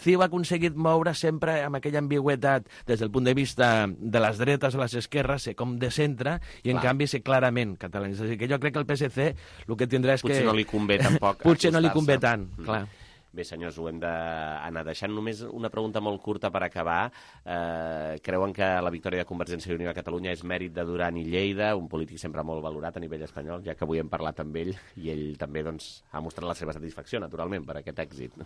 Speaker 15: C I U ha aconseguit moure sempre amb aquella ambigüetat des del punt de vista de les dretes o les esquerres, ser com de centre, i en Clar. canvi ser clarament catalanista. És a dir, que jo crec que el P S C el que tindrà és
Speaker 2: Potser
Speaker 15: que...
Speaker 2: no li convé tampoc
Speaker 15: Potser no li convé tant, mm. clar.
Speaker 2: Bé, senyors, ho hem d'anar deixant. Només una pregunta molt curta per acabar. Eh, creuen que la victòria de Convergència i Unió a Catalunya és mèrit de Duran i Lleida, un polític sempre molt valorat a nivell espanyol, ja que avui hem parlat amb ell i ell també doncs, ha mostrat la seva satisfacció, naturalment, per aquest èxit.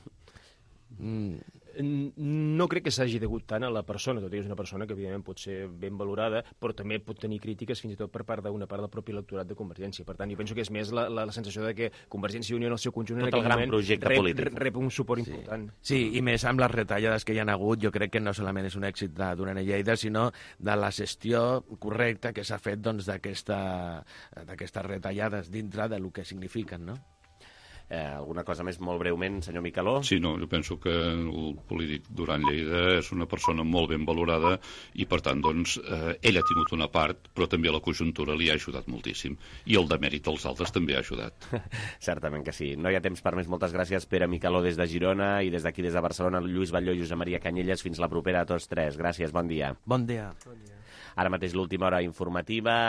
Speaker 13: Mm. No crec que s'hagi degut tant a la persona, tot i que és una persona que evidentment pot ser ben valorada, però també pot tenir crítiques fins i tot per part d'una part del propi electorat de Convergència. Per tant, jo penso que és més la, la, la sensació de que Convergència i Unió en el seu conjunt
Speaker 2: tot
Speaker 13: en aquell
Speaker 2: el gran
Speaker 13: moment
Speaker 2: projecte
Speaker 13: rep,
Speaker 2: polític.
Speaker 13: rep un suport
Speaker 15: sí.
Speaker 13: important.
Speaker 15: Sí, i més amb les retallades que hi ha hagut, jo crec que no solament és un èxit de Duran i Lleida, sinó de la gestió correcta que s'ha fet doncs, d'aquestes retallades dintre del que signifiquen, no?
Speaker 2: Eh, alguna cosa més molt breument, senyor Micaló?
Speaker 14: Sí, no, jo penso que el polític Duran Lleida és una persona molt ben valorada i, per tant, doncs, eh, ell ha tingut una part, però també la conjuntura li ha ajudat moltíssim. I el demèrit dels altres també ha ajudat.
Speaker 2: Certament que sí. No hi ha temps per més. Moltes gràcies, Pere Micaló, des de Girona, i des d'aquí, des de Barcelona, Lluís Batlló i Josep Maria Canyelles. Fins la propera a tots tres. Gràcies, bon dia.
Speaker 15: Bon dia.
Speaker 2: Ara mateix l'última hora informativa.